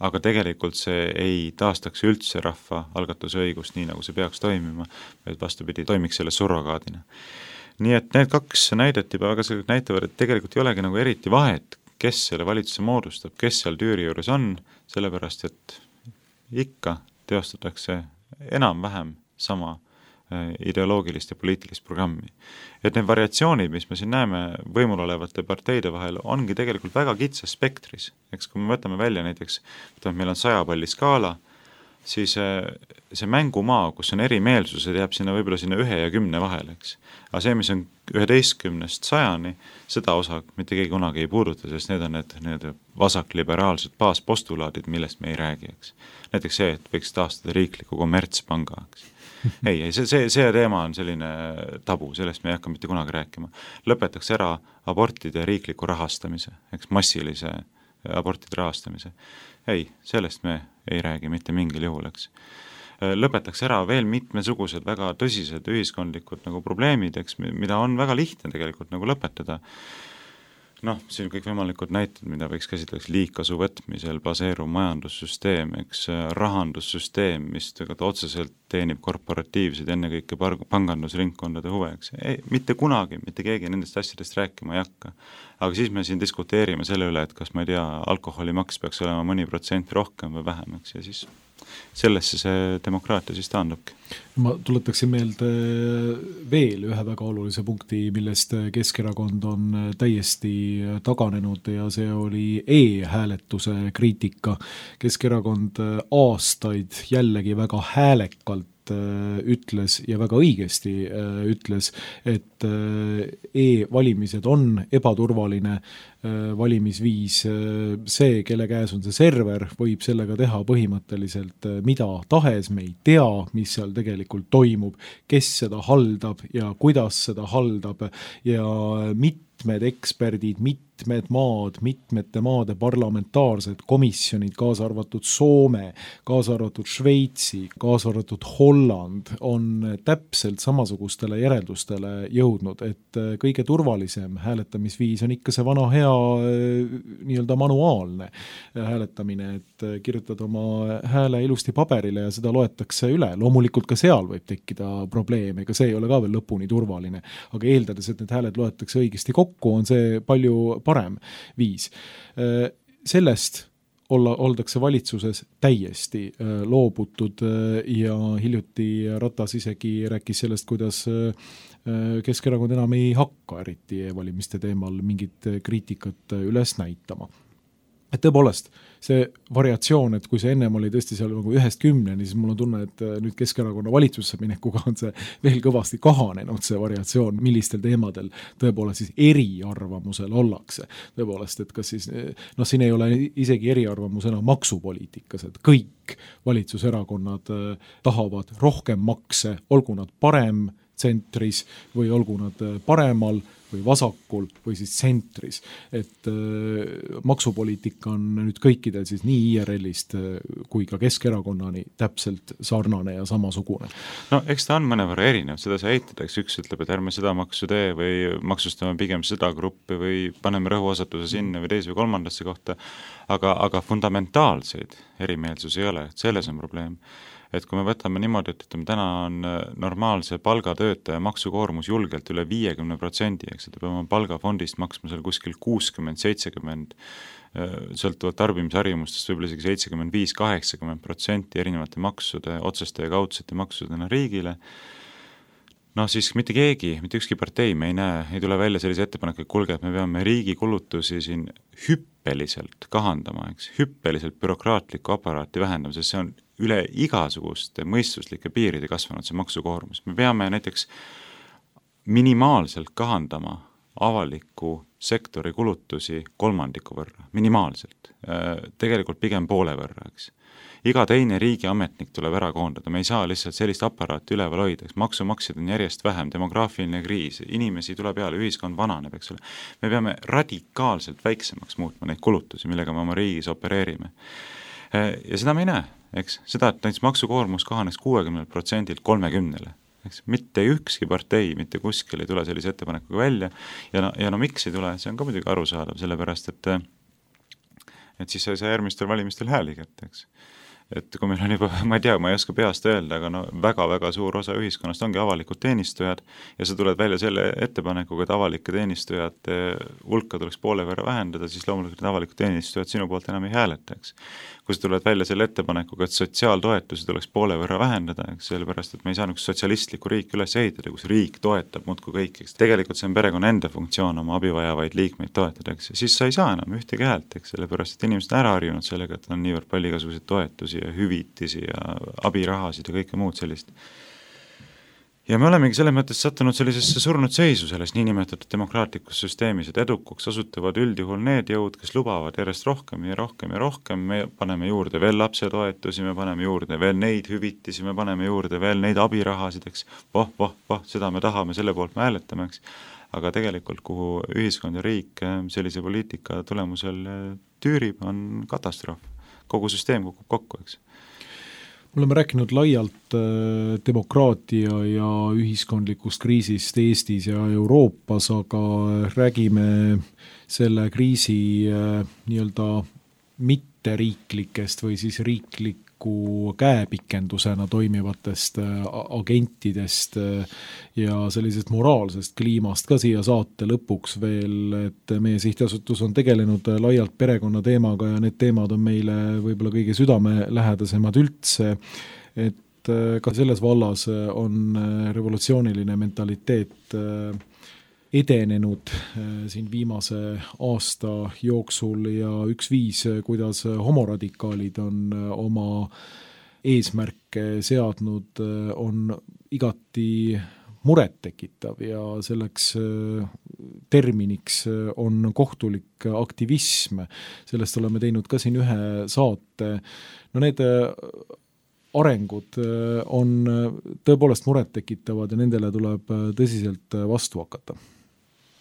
aga tegelikult see ei taastaks üldse rahva algatuse õigust nii, nagu see peaks toimima, vaid vastupidi, toimiks selle surrogaadina. Nii et need kaks näidet juba väga selgelt näitavad, et tegelikult ei olegi nagu eriti vahet, kes selle valitsuse moodustab, kes seal tüüri juures on, sellepärast, et ikka teostatakse enam-vähem sama ideoloogilist ja poliitilist programmi. Et need variatsioonid, mis me siin näeme võimul olevate parteide vahel, ongi tegelikult väga kitsas spektris. Eks kui me võtame välja näiteks, meil on 100 palli skaala, siis see mängumaa, kus on erimeelsused, jääb sinna võib-olla sinna 1 ja 10 vahele, eks. Aga see, mis on 11-st 100-ni, seda osa mitte keegi kunagi ei puuduta, sest need on need vasakliberaalsed baaspostulaadid, millest me ei räägi, eks. Näiteks see, et võiks taastada riikliku kommertspanga, eks. Ei, see teema on selline tabu, sellest me ei hakka mitte kunagi rääkima. Lõpetaks ära abortide riikliku rahastamise, eks, massilise abortide rahastamise. Ei, sellest me ei räägi mitte mingil juhul, eks. Lõpetaks ära veel mitmesugused väga tõsised ühiskondlikud nagu probleemid, eks, mida on väga lihtne tegelikult nagu lõpetada. Noh, siin kõik võimalikud näited, mida võiks käsitleda liigkasu võtmisel baseeruv majandussüsteem, eks, rahandussüsteem, mis otseselt teenib korporatiivseid ennekõike pangandusringkondade huve, eks. Ei, mitte kunagi, mitte keegi nendest asjadest rääkima ei hakka. Aga siis me siin diskuteerime selle üle, et kas ma ei tea, alkoholimaks peaks olema mõni protsent rohkem või vähem, eks, ja siis sellesse see demokraatia siis taandubki. Ma tuletaksin meelde veel ühe väga olulise punkti, millest Keskerakond on täiesti taganenud ja see oli e-hääletuse kriitika. Keskerakond aastaid jällegi väga häälekalt ütles ja väga õigesti ütles, et e-valimised on ebaturvaline valimisviis. See, kelle käes on see server, võib sellega teha põhimõtteliselt mida tahes, me ei tea, mis seal tegelikult toimub, kes seda haldab ja kuidas seda haldab ja mitmed eksperdid, mitmete maade parlamentaarsed komisjonid, kaasa arvatud Soome, kaasa arvatud Šveitsi, kaasa arvatud Holland on täpselt samasugustele järeldustele jõudnud, et kõige turvalisem hääletamisviis on ikka see vana hea nii-öelda manuaalne hääletamine, et kirjutad oma hääle ilusti paberile ja seda loetakse üle. Loomulikult ka seal võib tekkida probleeme, ega see ei ole ka veel lõpuni turvaline, aga eeldades, et need hääled loetakse õigesti kokku, on see palju parem viis. Sellest oldakse valitsuses täiesti loobutud ja hiljuti Ratas isegi rääkis sellest, kuidas Keskerakond enam ei hakka eriti e-valimiste teemal mingit kriitikat üles näitama. Et tõepoolest, see variatsioon, et kui see ennem oli tõesti seal nagu 1-10, siis mul on tunne, et nüüd Keskerakonna valitsusse minekuga on see veel kõvasti kahanenud, see variatsioon, millistel teemadel tõepoolest siis eriarvamusel ollakse. Tõepoolest, et kas siis, siin ei ole isegi eriarvamusena maksupoliitikas, et kõik valitsuserakonnad tahavad rohkem makse, olgu nad parem tsentris või olgu nad paremal või vasakul või siis tsentris. Et maksupoliitika on nüüd kõikidel siis nii IRL-ist kui ka Keskerakonnani täpselt sarnane ja samasugune. No eks ta on mõnevõrra erinev, seda sa eitad, eks üks ütleb, et ärme seda maksu tee või maksustame pigem seda gruppi või paneme rõhuasatuse sinna või teise või kolmandasse kohta, aga fundamentaalseid erimeelsusi ei ole, et selles on probleem. Et kui me võtame niimoodi, et täna on normaalse palgatöötaja maksukoormus julgelt üle 50%, eks, et peame palgafondist maksma seal kuskil 60-70%, sõltuvalt tarbimisharjumustest võib-olla isegi 75-80% erinevate maksude, otseste ja kaudsete maksudena riigile. Siis mitte keegi, mitte ükski partei me ei tule välja sellise ettepaneku, et kuulge, et me peame riigi kulutusi siin hüppeliselt kahandama, eks, hüppeliselt bürokraatlikku aparaati vähendama, sest see on üle igasuguste mõistuslike piiride kasvanud see maksukoormus. Me peame näiteks minimaalselt kahandama avaliku sektori kulutusi 3% võrra, minimaalselt, tegelikult pigem poole võrra, eks. Iga teine riigiametnik tuleb ära koondada, me ei saa lihtsalt sellist aparaati üleval hoida, maksumaksjad on järjest vähem, demograafiline kriis, inimesi tuleb peale, ühiskond vananeb, eks ole. Me peame radikaalselt väiksemaks muutma neid kulutusi, millega me oma riigis opereerime. Ja seda me ei näe, eks, seda, et näiteks maksukoormus kahaneks 60%-lt 30%-le. Eks, mitte ükski partei, mitte kuskil ei tule sellise ettepanekuga välja ja miks ei tule, see on ka muidugi arusaadav, sellepärast, et siis sa järgmistel valimistel hääli kätte, eks. Et kui meil on juba, ma ei oska peast öelda, aga väga-väga suur osa ühiskonnast ongi avalikud teenistujad ja sa tuled välja selle ettepanekuga, et avalike teenistujate hulka tuleks poole võrra vähendada, siis loomulikult need avalikud teenistujad sinu poolt enam ei hääleta, eks. Kui sa tuled välja selle ettepanekuga, et sotsiaaltoetusi tuleks poole võrra vähendada, eks, sellepärast, et me ei saa sotsialistlikku riik üles ehitada, kus riik toetab muudkui kõik, eks. Tegelikult see on perekonna enda funktsioon oma abivajavaid liikmeid toetada, eks. Siis sa ei saa enam ühtegi häält, eks, sellepärast, et inimesed on ära harjunud sellega, et on niivõrd palju igasuguseid toetusi toetusi ja hüvitisi ja abirahasid ja kõike muud sellist. Ja me olemegi selles mõttes sattunud sellisesse surnud seisu selles niinimetatud demokraatlikus süsteemis, et edukuks osutuvad üldjuhul need jõud, kes lubavad järjest rohkem ja rohkem ja rohkem, me paneme juurde veel lapsetoetusi, me paneme juurde veel neid hüvitisi, me paneme juurde veel neid abirahasid, eks, seda me tahame, selle poolt me hääletame, eks. Aga tegelikult, kuhu ühiskond ja riik sellise poliitika tulemusel tüürib, on katastroof. Kogu süsteem kukub kokku, eks. Me oleme rääkinud laialt demokraatia ja ühiskondlikust kriisist Eestis ja Euroopas, aga räägime selle kriisi nii-öelda mitteriiklikest või siis riikliku käepikendusena toimivatest agentidest ja sellisest moraalsest kliimast ka siia saate lõpuks veel, et meie sihtasutus on tegelenud laialt perekonna teemaga ja need teemad on meile võib-olla kõige südamelähedasemad üldse, et ka selles vallas on revolutsiooniline mentaliteet edenenud siin viimase aasta jooksul ja üks viis, kuidas homoradikaalid on oma eesmärke seadnud, on igati murettekitav ja selleks terminiks on kohtulik aktivism. Sellest oleme teinud ka siin ühe saate. No need arengud on tõepoolest murettekitavad ja nendele tuleb tõsiselt vastu hakata.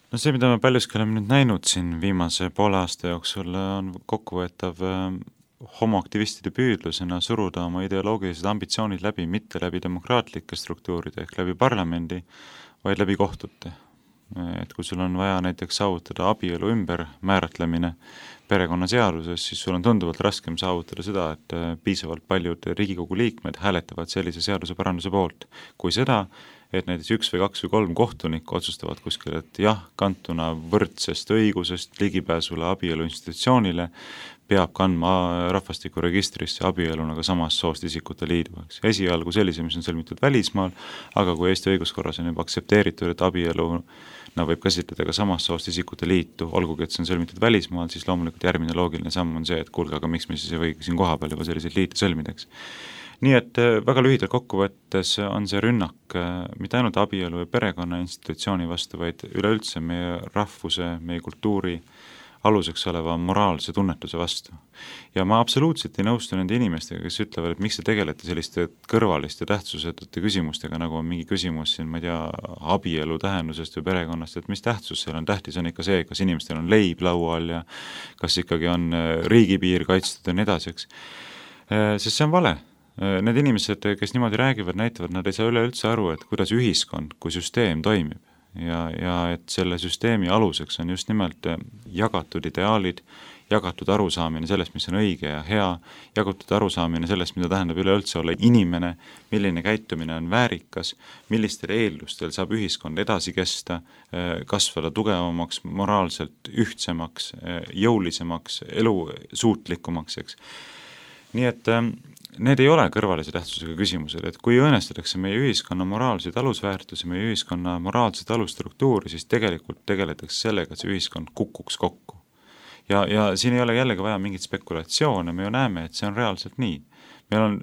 No see, mida me paljuski oleme nüüd näinud siin viimase poole aasta jooksul, on kokkuvõetav homoaktivistide püüdlusena suruda oma ideoloogilised ambitsioonid läbi mitte läbi demokraatlike struktuuride ehk läbi parlamendi, vaid läbi kohtute. Et kui sul on vaja näiteks saavutada abielu ümber määratlemine perekonnaseaduses, siis sul on tunduvalt raskem saavutada seda, et piisavalt paljud Riigikogu liikmed hääletavad sellise seaduse paranduse poolt, kui seda, et näiteks 1 või 2 või 3 kohtunikku otsustavad kuskil, et jah, kantuna võrdsest õigusest ligipääsule abielu institutsioonile peab kandma rahvastikuregistrisse abieluna ka samast soost isikute liidu. Esialgu sellise, mis on sõlmitud välismaal, aga kui Eesti õiguskorras on juba aktsepteeritud, et abielu võib käsitleda ka samast soost isikute liitu, olgugi et see on sõlmitud välismaal, siis loomulikult järgmine loogiline samm on see, et kuulge, aga miks me siis ei või siin kohapeal juba selliseid liite sõlmideks. Nii et väga lühidalt kokkuvõttes on see rünnak mitte ainult abielu ja perekonna institutsiooni vastu, vaid üleüldse meie rahvuse, meie kultuuri aluseks oleva moraalse tunnetuse vastu. Ja ma absoluutselt ei nõustu nende inimestega, kes ütlevad, et miks te tegelete selliste kõrvaliste tähtsusetute küsimustega, nagu on mingi küsimus siin, ma ei tea, abielu tähendusest või perekonnast, et mis tähtsus seal on, tähtis on ikka see, kas inimestel on leib laual ja kas ikkagi on riigipiir kaitstud ja nii edasi, eks. Sest see on vale. Need inimesed, kes niimoodi räägivad, näitavad, nad ei saa üleüldse aru, et kuidas ühiskond kui süsteem toimib ja et selle süsteemi aluseks on just nimelt jagatud ideaalid, jagatud arusaamine sellest, mis on õige ja hea, jagatud arusaamine sellest, mida tähendab üleüldse olla inimene, milline käitumine on väärikas, millistel eeldustel saab ühiskond edasi kesta, kasvada tugevamaks, moraalselt ühtsemaks, jõulisemaks, elusuutlikumaks, eks. Nii et need ei ole kõrvalise tähtsusega küsimused, et kui õõnestatakse meie ühiskonna moraalseid alusväärtusi, meie ühiskonna moraalseid alusstruktuuri, siis tegelikult tegeletakse sellega, et see ühiskond kukuks kokku. Ja siin ei ole jällegi vaja mingit spekulatsioone, me ju näeme, et see on reaalselt nii. Meil on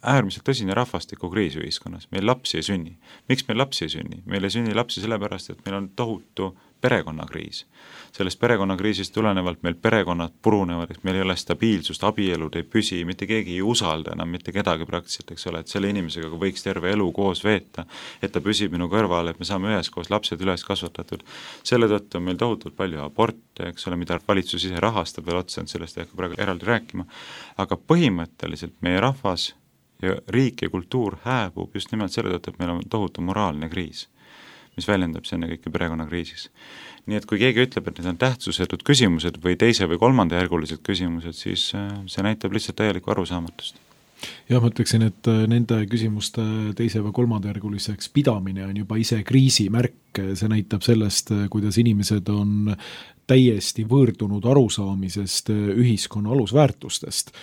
äärmiselt tõsine rahvastikukriis ühiskonnas, meil lapsi ei sünni. Miks meil lapsi ei sünni? Meil ei sünni lapsi sellepärast, et meil on tohutu perekonnakriis. Sellest perekonnakriisist tulenevalt meil perekonnad purunevad, et meil ei ole stabiilsust, abielud ei püsi, mitte keegi ei usalda enam mitte kedagi praktiliselt, eks ole, et selle inimesega võiks terve elu koos veeta, et ta püsib minu kõrval, et me saame üheskoos lapsed üles kasvatatud. Selle tõttu on meil tohutult palju aborte, eks ole, mida valitsus ise rahastab veel otsa, et sellest ei hakka praegu eraldi rääkima, aga põhimõtteliselt meie rahvas ja riik ja kultuur hääbub just nimelt selle tõttu, et meil on tohutu moraalne kriis, mis väljendab see enne kõike perekonnakriisis. Nii et kui keegi ütleb, et need on tähtsusetud küsimused või teise või kolmandajärgulised küsimused, siis see näitab lihtsalt täielikku arusaamatust. Ja ma ütleksin, et nende küsimuste teise või kolmandajärguliseks pidamine on juba ise kriisi märk, see näitab sellest, kuidas inimesed on täiesti võõrdunud arusaamisest ühiskonna alusväärtustest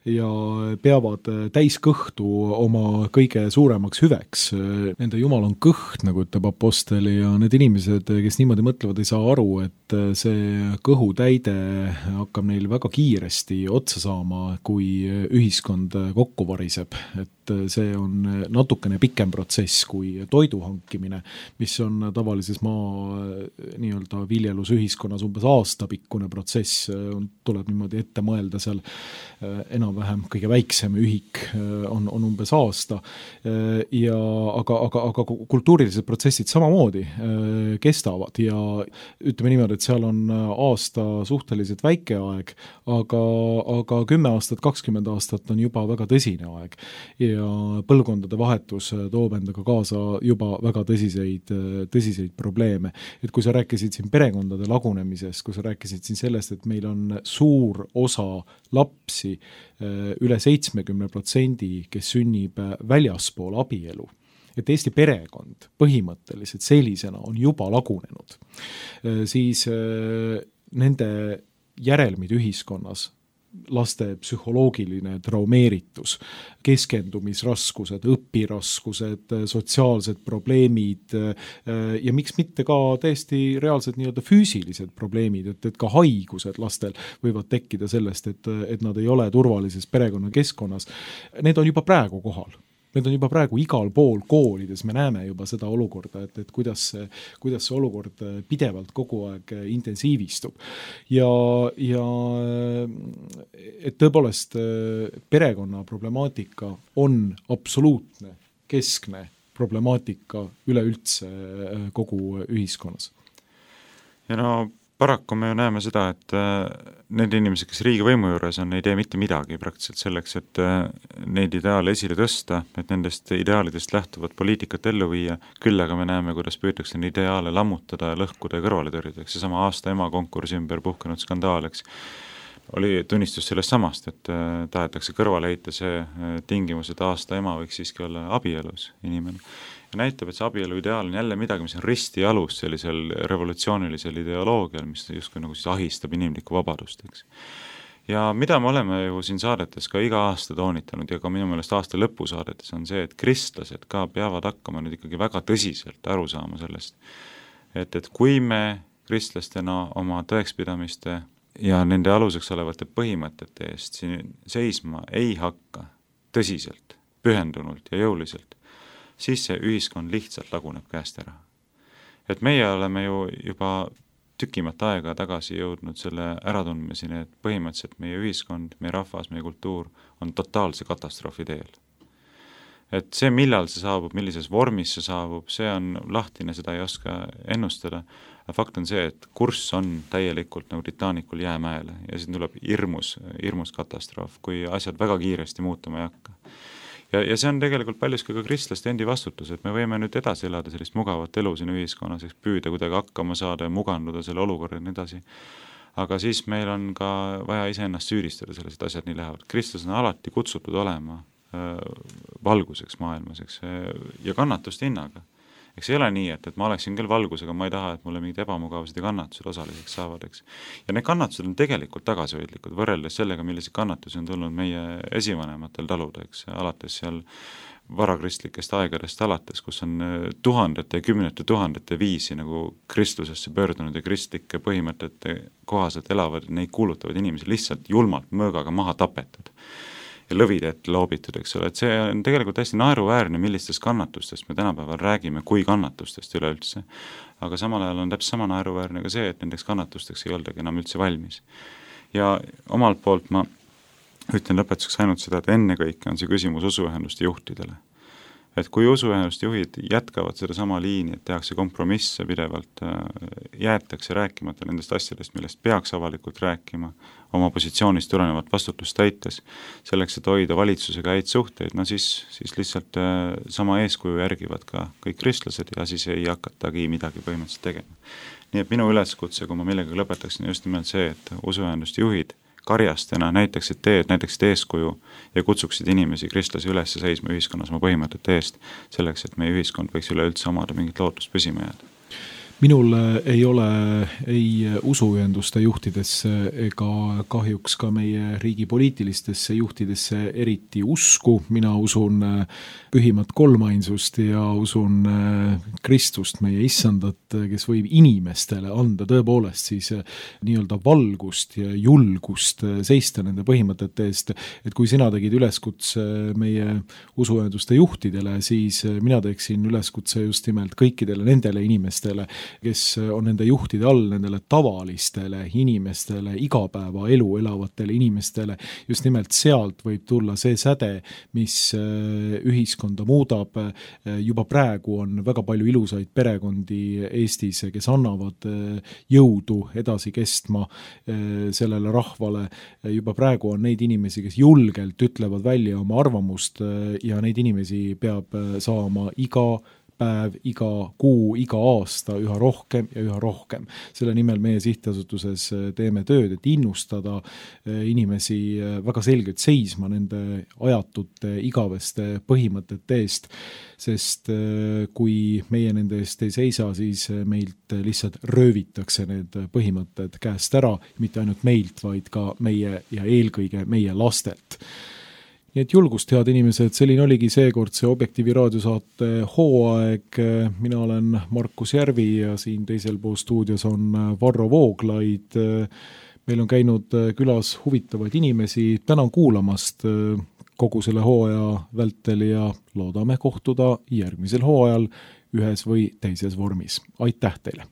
ja peavad täiskõhtu oma kõige suuremaks hüveks. Nende jumal on kõht, nagu ütleb Apostel, ja need inimesed, kes niimoodi mõtlevad, ei saa aru, et see kõhutäide hakkab neil väga kiiresti otsa saama, kui ühiskond kokku variseb. Et see on natukene pikem protsess kui toidu hankimine, mis on tavalises maa nii-öelda viljelusühiskonnas umbes aastapikkune protsess, tuleb niimoodi ette mõelda seal enam-vähem kõige väiksem ühik on umbes aasta, aga kultuurilised protsessid samamoodi kestavad ja ütleme niimoodi, et seal on aasta suhteliselt väike aeg, aga 10 aastat, 20 aastat on juba väga tõsine aeg ja põlvkondade vahetus toob endaga kaasa juba väga tõsiseid probleeme. Et kui sa rääkisid siin perekondade lagunemisest, kui sa rääkisid siin sellest, et meil on suur osa lapsi, üle 70%, kes sünnib väljaspool abielu, et Eesti perekond põhimõtteliselt sellisena on juba lagunenud, siis nende järelmid ühiskonnas, laste psühholoogiline traumeeritus, keskendumisraskused, õpiraskused, sotsiaalsed probleemid ja miks mitte ka täiesti reaalsed nii-öelda füüsilised probleemid, et ka haigused lastel võivad tekkida sellest, et nad ei ole turvalises perekonnakeskkonnas. Need on juba praegu kohal. Need on juba praegu igal pool koolides, me näeme juba seda olukorda, et kuidas see olukord pidevalt kogu aeg intensiivistub. Ja et tõepoolest perekonna problemaatika on absoluutne, keskne problemaatika üleüldse kogu ühiskonnas. Ja no paraku me ju näeme seda, et need inimesed, kes riigivõimu juures on, ei tee mitte midagi praktiliselt selleks, et neid ideaale esile tõsta, et nendest ideaalidest lähtuvat poliitikat ellu viia, küll aga me näeme, kuidas püütakse neid ideaale lammutada, lõhkuda ja kõrvale tõrjuda. Seesama aasta ema konkursi ümber puhkenud skandaal, eks, oli tunnistus sellest samast, et tahetakse kõrvale heita see tingimus, et aasta ema võiks siiski olla abielus inimene. Ja näitab, et see abielu ideaal on jälle midagi, mis on risti alus sellisel revolutsioonilisel ideoloogial, mis justkui nagu siis ahistab inimlikku vabadust, eks. Ja mida me oleme ju siin saadetes ka iga aasta toonitanud ja ka minu meelest aasta lõpu saadetes on see, et kristlased ka peavad hakkama nüüd ikkagi väga tõsiselt aru saama sellest, et kui me kristlastena oma tõekspidamiste ja nende aluseks olevate põhimõtete eest siin seisma ei hakka tõsiselt, pühendunult ja jõuliselt, siis see ühiskond lihtsalt laguneb käest ära. Et meie oleme ju juba tükimat aega tagasi jõudnud selle äratundmiseni, et põhimõtteliselt meie ühiskond, meie rahvas, meie kultuur on totaalse katastroofi teel. Et see, millal see saabub, millises vormis see saabub, see on lahtine, seda ei oska ennustada. Fakt on see, et kurss on täielikult nagu Titanicul jäämäele ja siin tuleb hirmus katastroof, kui asjad väga kiiresti muutuma ei hakka. Ja see on tegelikult paljuski ka kristlaste endi vastutus, et me võime nüüd edasi elada sellist mugavat elu siin ühiskonnas, püüda kuidagi hakkama saada ja muganduda selle olukorra ja nii edasi. Aga siis meil on ka vaja iseennast süüdistada selles, et asjad nii lähevad. Kristus on alati kutsutud olema valguseks maailmas, eks, ja kannatuste hinnaga. Eks ei ole nii, et ma oleksin küll valgusega, ma ei taha, et mulle mingid ebamugavused ja kannatused osaliseks saavad, eks. Ja need kannatused on tegelikult tagasihoidlikud, võrreldes sellega, millised kannatusi on tulnud meie esivanematel taluda, eks, alates seal varakristlikest aegadest alates, kus on tuhandete ja kümnete tuhandete viisi nagu kristlusesse pöördunud ja kristlike põhimõtete kohaselt elavad, neid kuulutavad inimesi lihtsalt julmalt mõõgaga maha tapetud ja lõvide ette loobitud, eks ole, et see on tegelikult hästi naeruväärne, millistest kannatustest me tänapäeval räägime, kui kannatustest üleüldse. Aga samal ajal on täpselt sama naeruväärne ka see, et nendeks kannatusteks ei oldagi enam üldse valmis. Ja omalt poolt ma ütlen lõpetuseks ainult seda, et ennekõike on see küsimus usuühenduste juhtidele. Et kui usuühenduste juhid jätkavad seda sama liini, et tehakse kompromisse pidevalt, jäetakse rääkimata nendest asjadest, millest peaks avalikult rääkima, oma positsioonist tulenevat vastutust täites, selleks, et hoida valitsusega häid suhteid, no siis lihtsalt sama eeskuju järgivad ka kõik kristlased ja siis ei hakatagi midagi põhimõtteliselt tegema. Nii et minu üleskutse, kui ma millega lõpetaksin, just nimelt see, et usuühenduste juhid karjastena näitaksid eeskuju ja kutsuksid inimesi kristlasi üles seisma ühiskonnas oma põhimõtete eest, selleks, et meie ühiskond võiks üleüldse omada mingit lootust püsima jääda. Minul ei ole ei usuühenduste juhtidesse ega kahjuks ka meie riigi poliitilistesse juhtidesse eriti usku. Mina usun pühimat kolmainsust ja usun Kristust, meie issandat, kes võib inimestele anda tõepoolest siis nii-öelda valgust ja julgust seista nende põhimõtete eest. Et kui sina tegid üleskutse meie usuühenduste juhtidele, siis mina teeksin üleskutse just nimelt kõikidele nendele inimestele, kes on nende juhtide all, nendele tavalistele inimestele, igapäevaelu elavatele inimestele. Just nimelt sealt võib tulla see säde, mis ühiskonda muudab. Juba praegu on väga palju ilusaid perekondi Eestis, kes annavad jõudu edasi kestma sellele rahvale. Juba praegu on neid inimesi, kes julgelt ütlevad välja oma arvamust ja neid inimesi peab saama iga päev, iga kuu, iga aasta üha rohkem ja üha rohkem. Selle nimel meie sihtasutuses teeme tööd, et innustada inimesi väga selgelt seisma nende ajatute igaveste põhimõtete eest, sest kui meie nende eest ei seisa, siis meilt lihtsalt röövitakse need põhimõtted käest ära, mitte ainult meilt, vaid ka meie ja eelkõige meie lastelt. Nii et julgust, head inimesed, selline oligi seekord see Objektiivi raadiosaate hooaeg. Mina olen Markus Järvi ja siin teisel pool stuudios on Varro Vooglaid. Meil on käinud külas huvitavaid inimesi. Tänan kuulamast kogu selle hooaja vältel ja loodame kohtuda järgmisel hooajal ühes või teises vormis. Aitäh teile!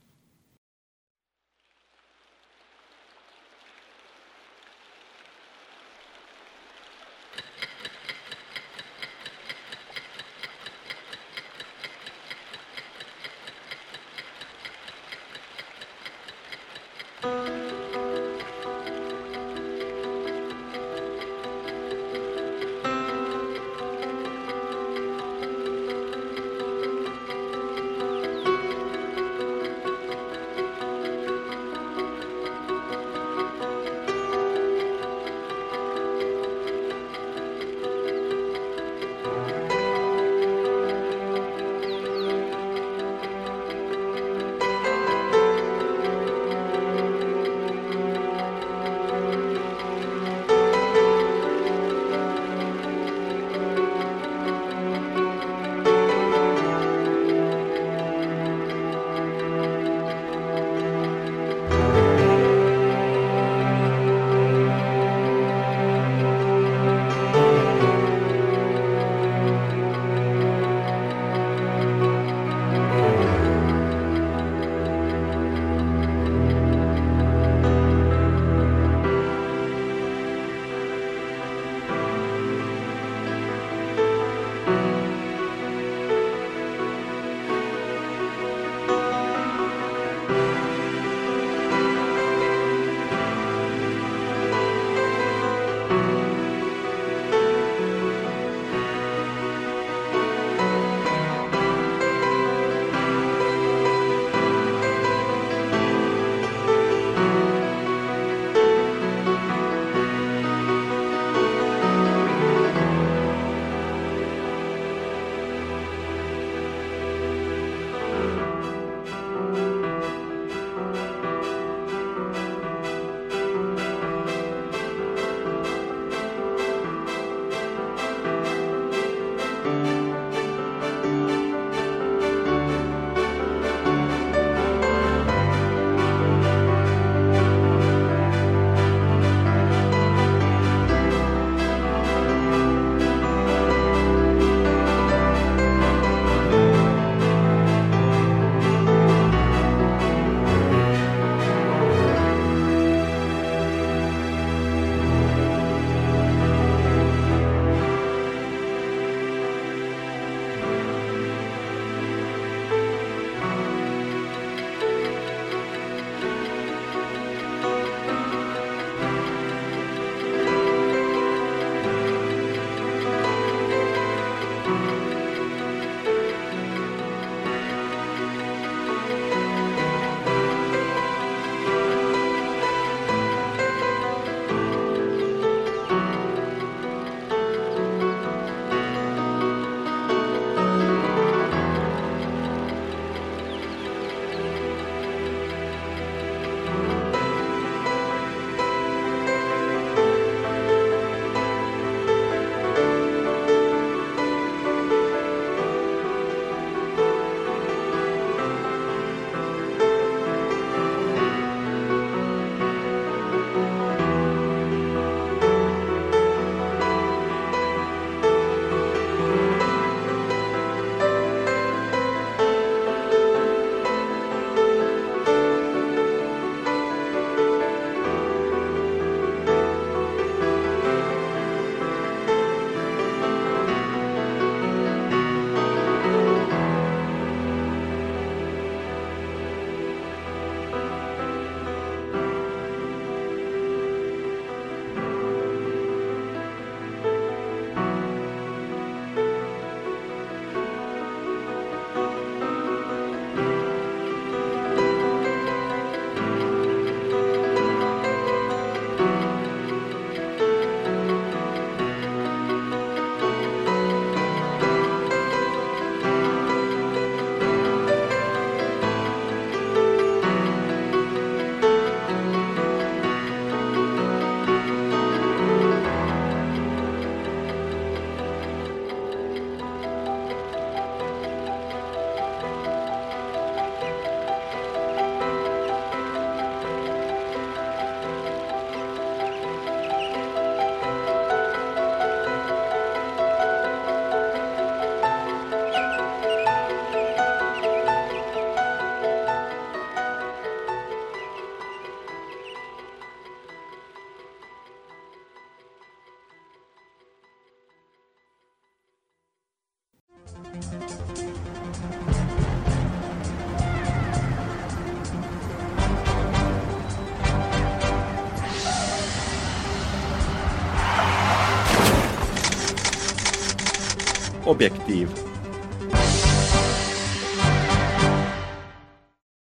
Objektiiv.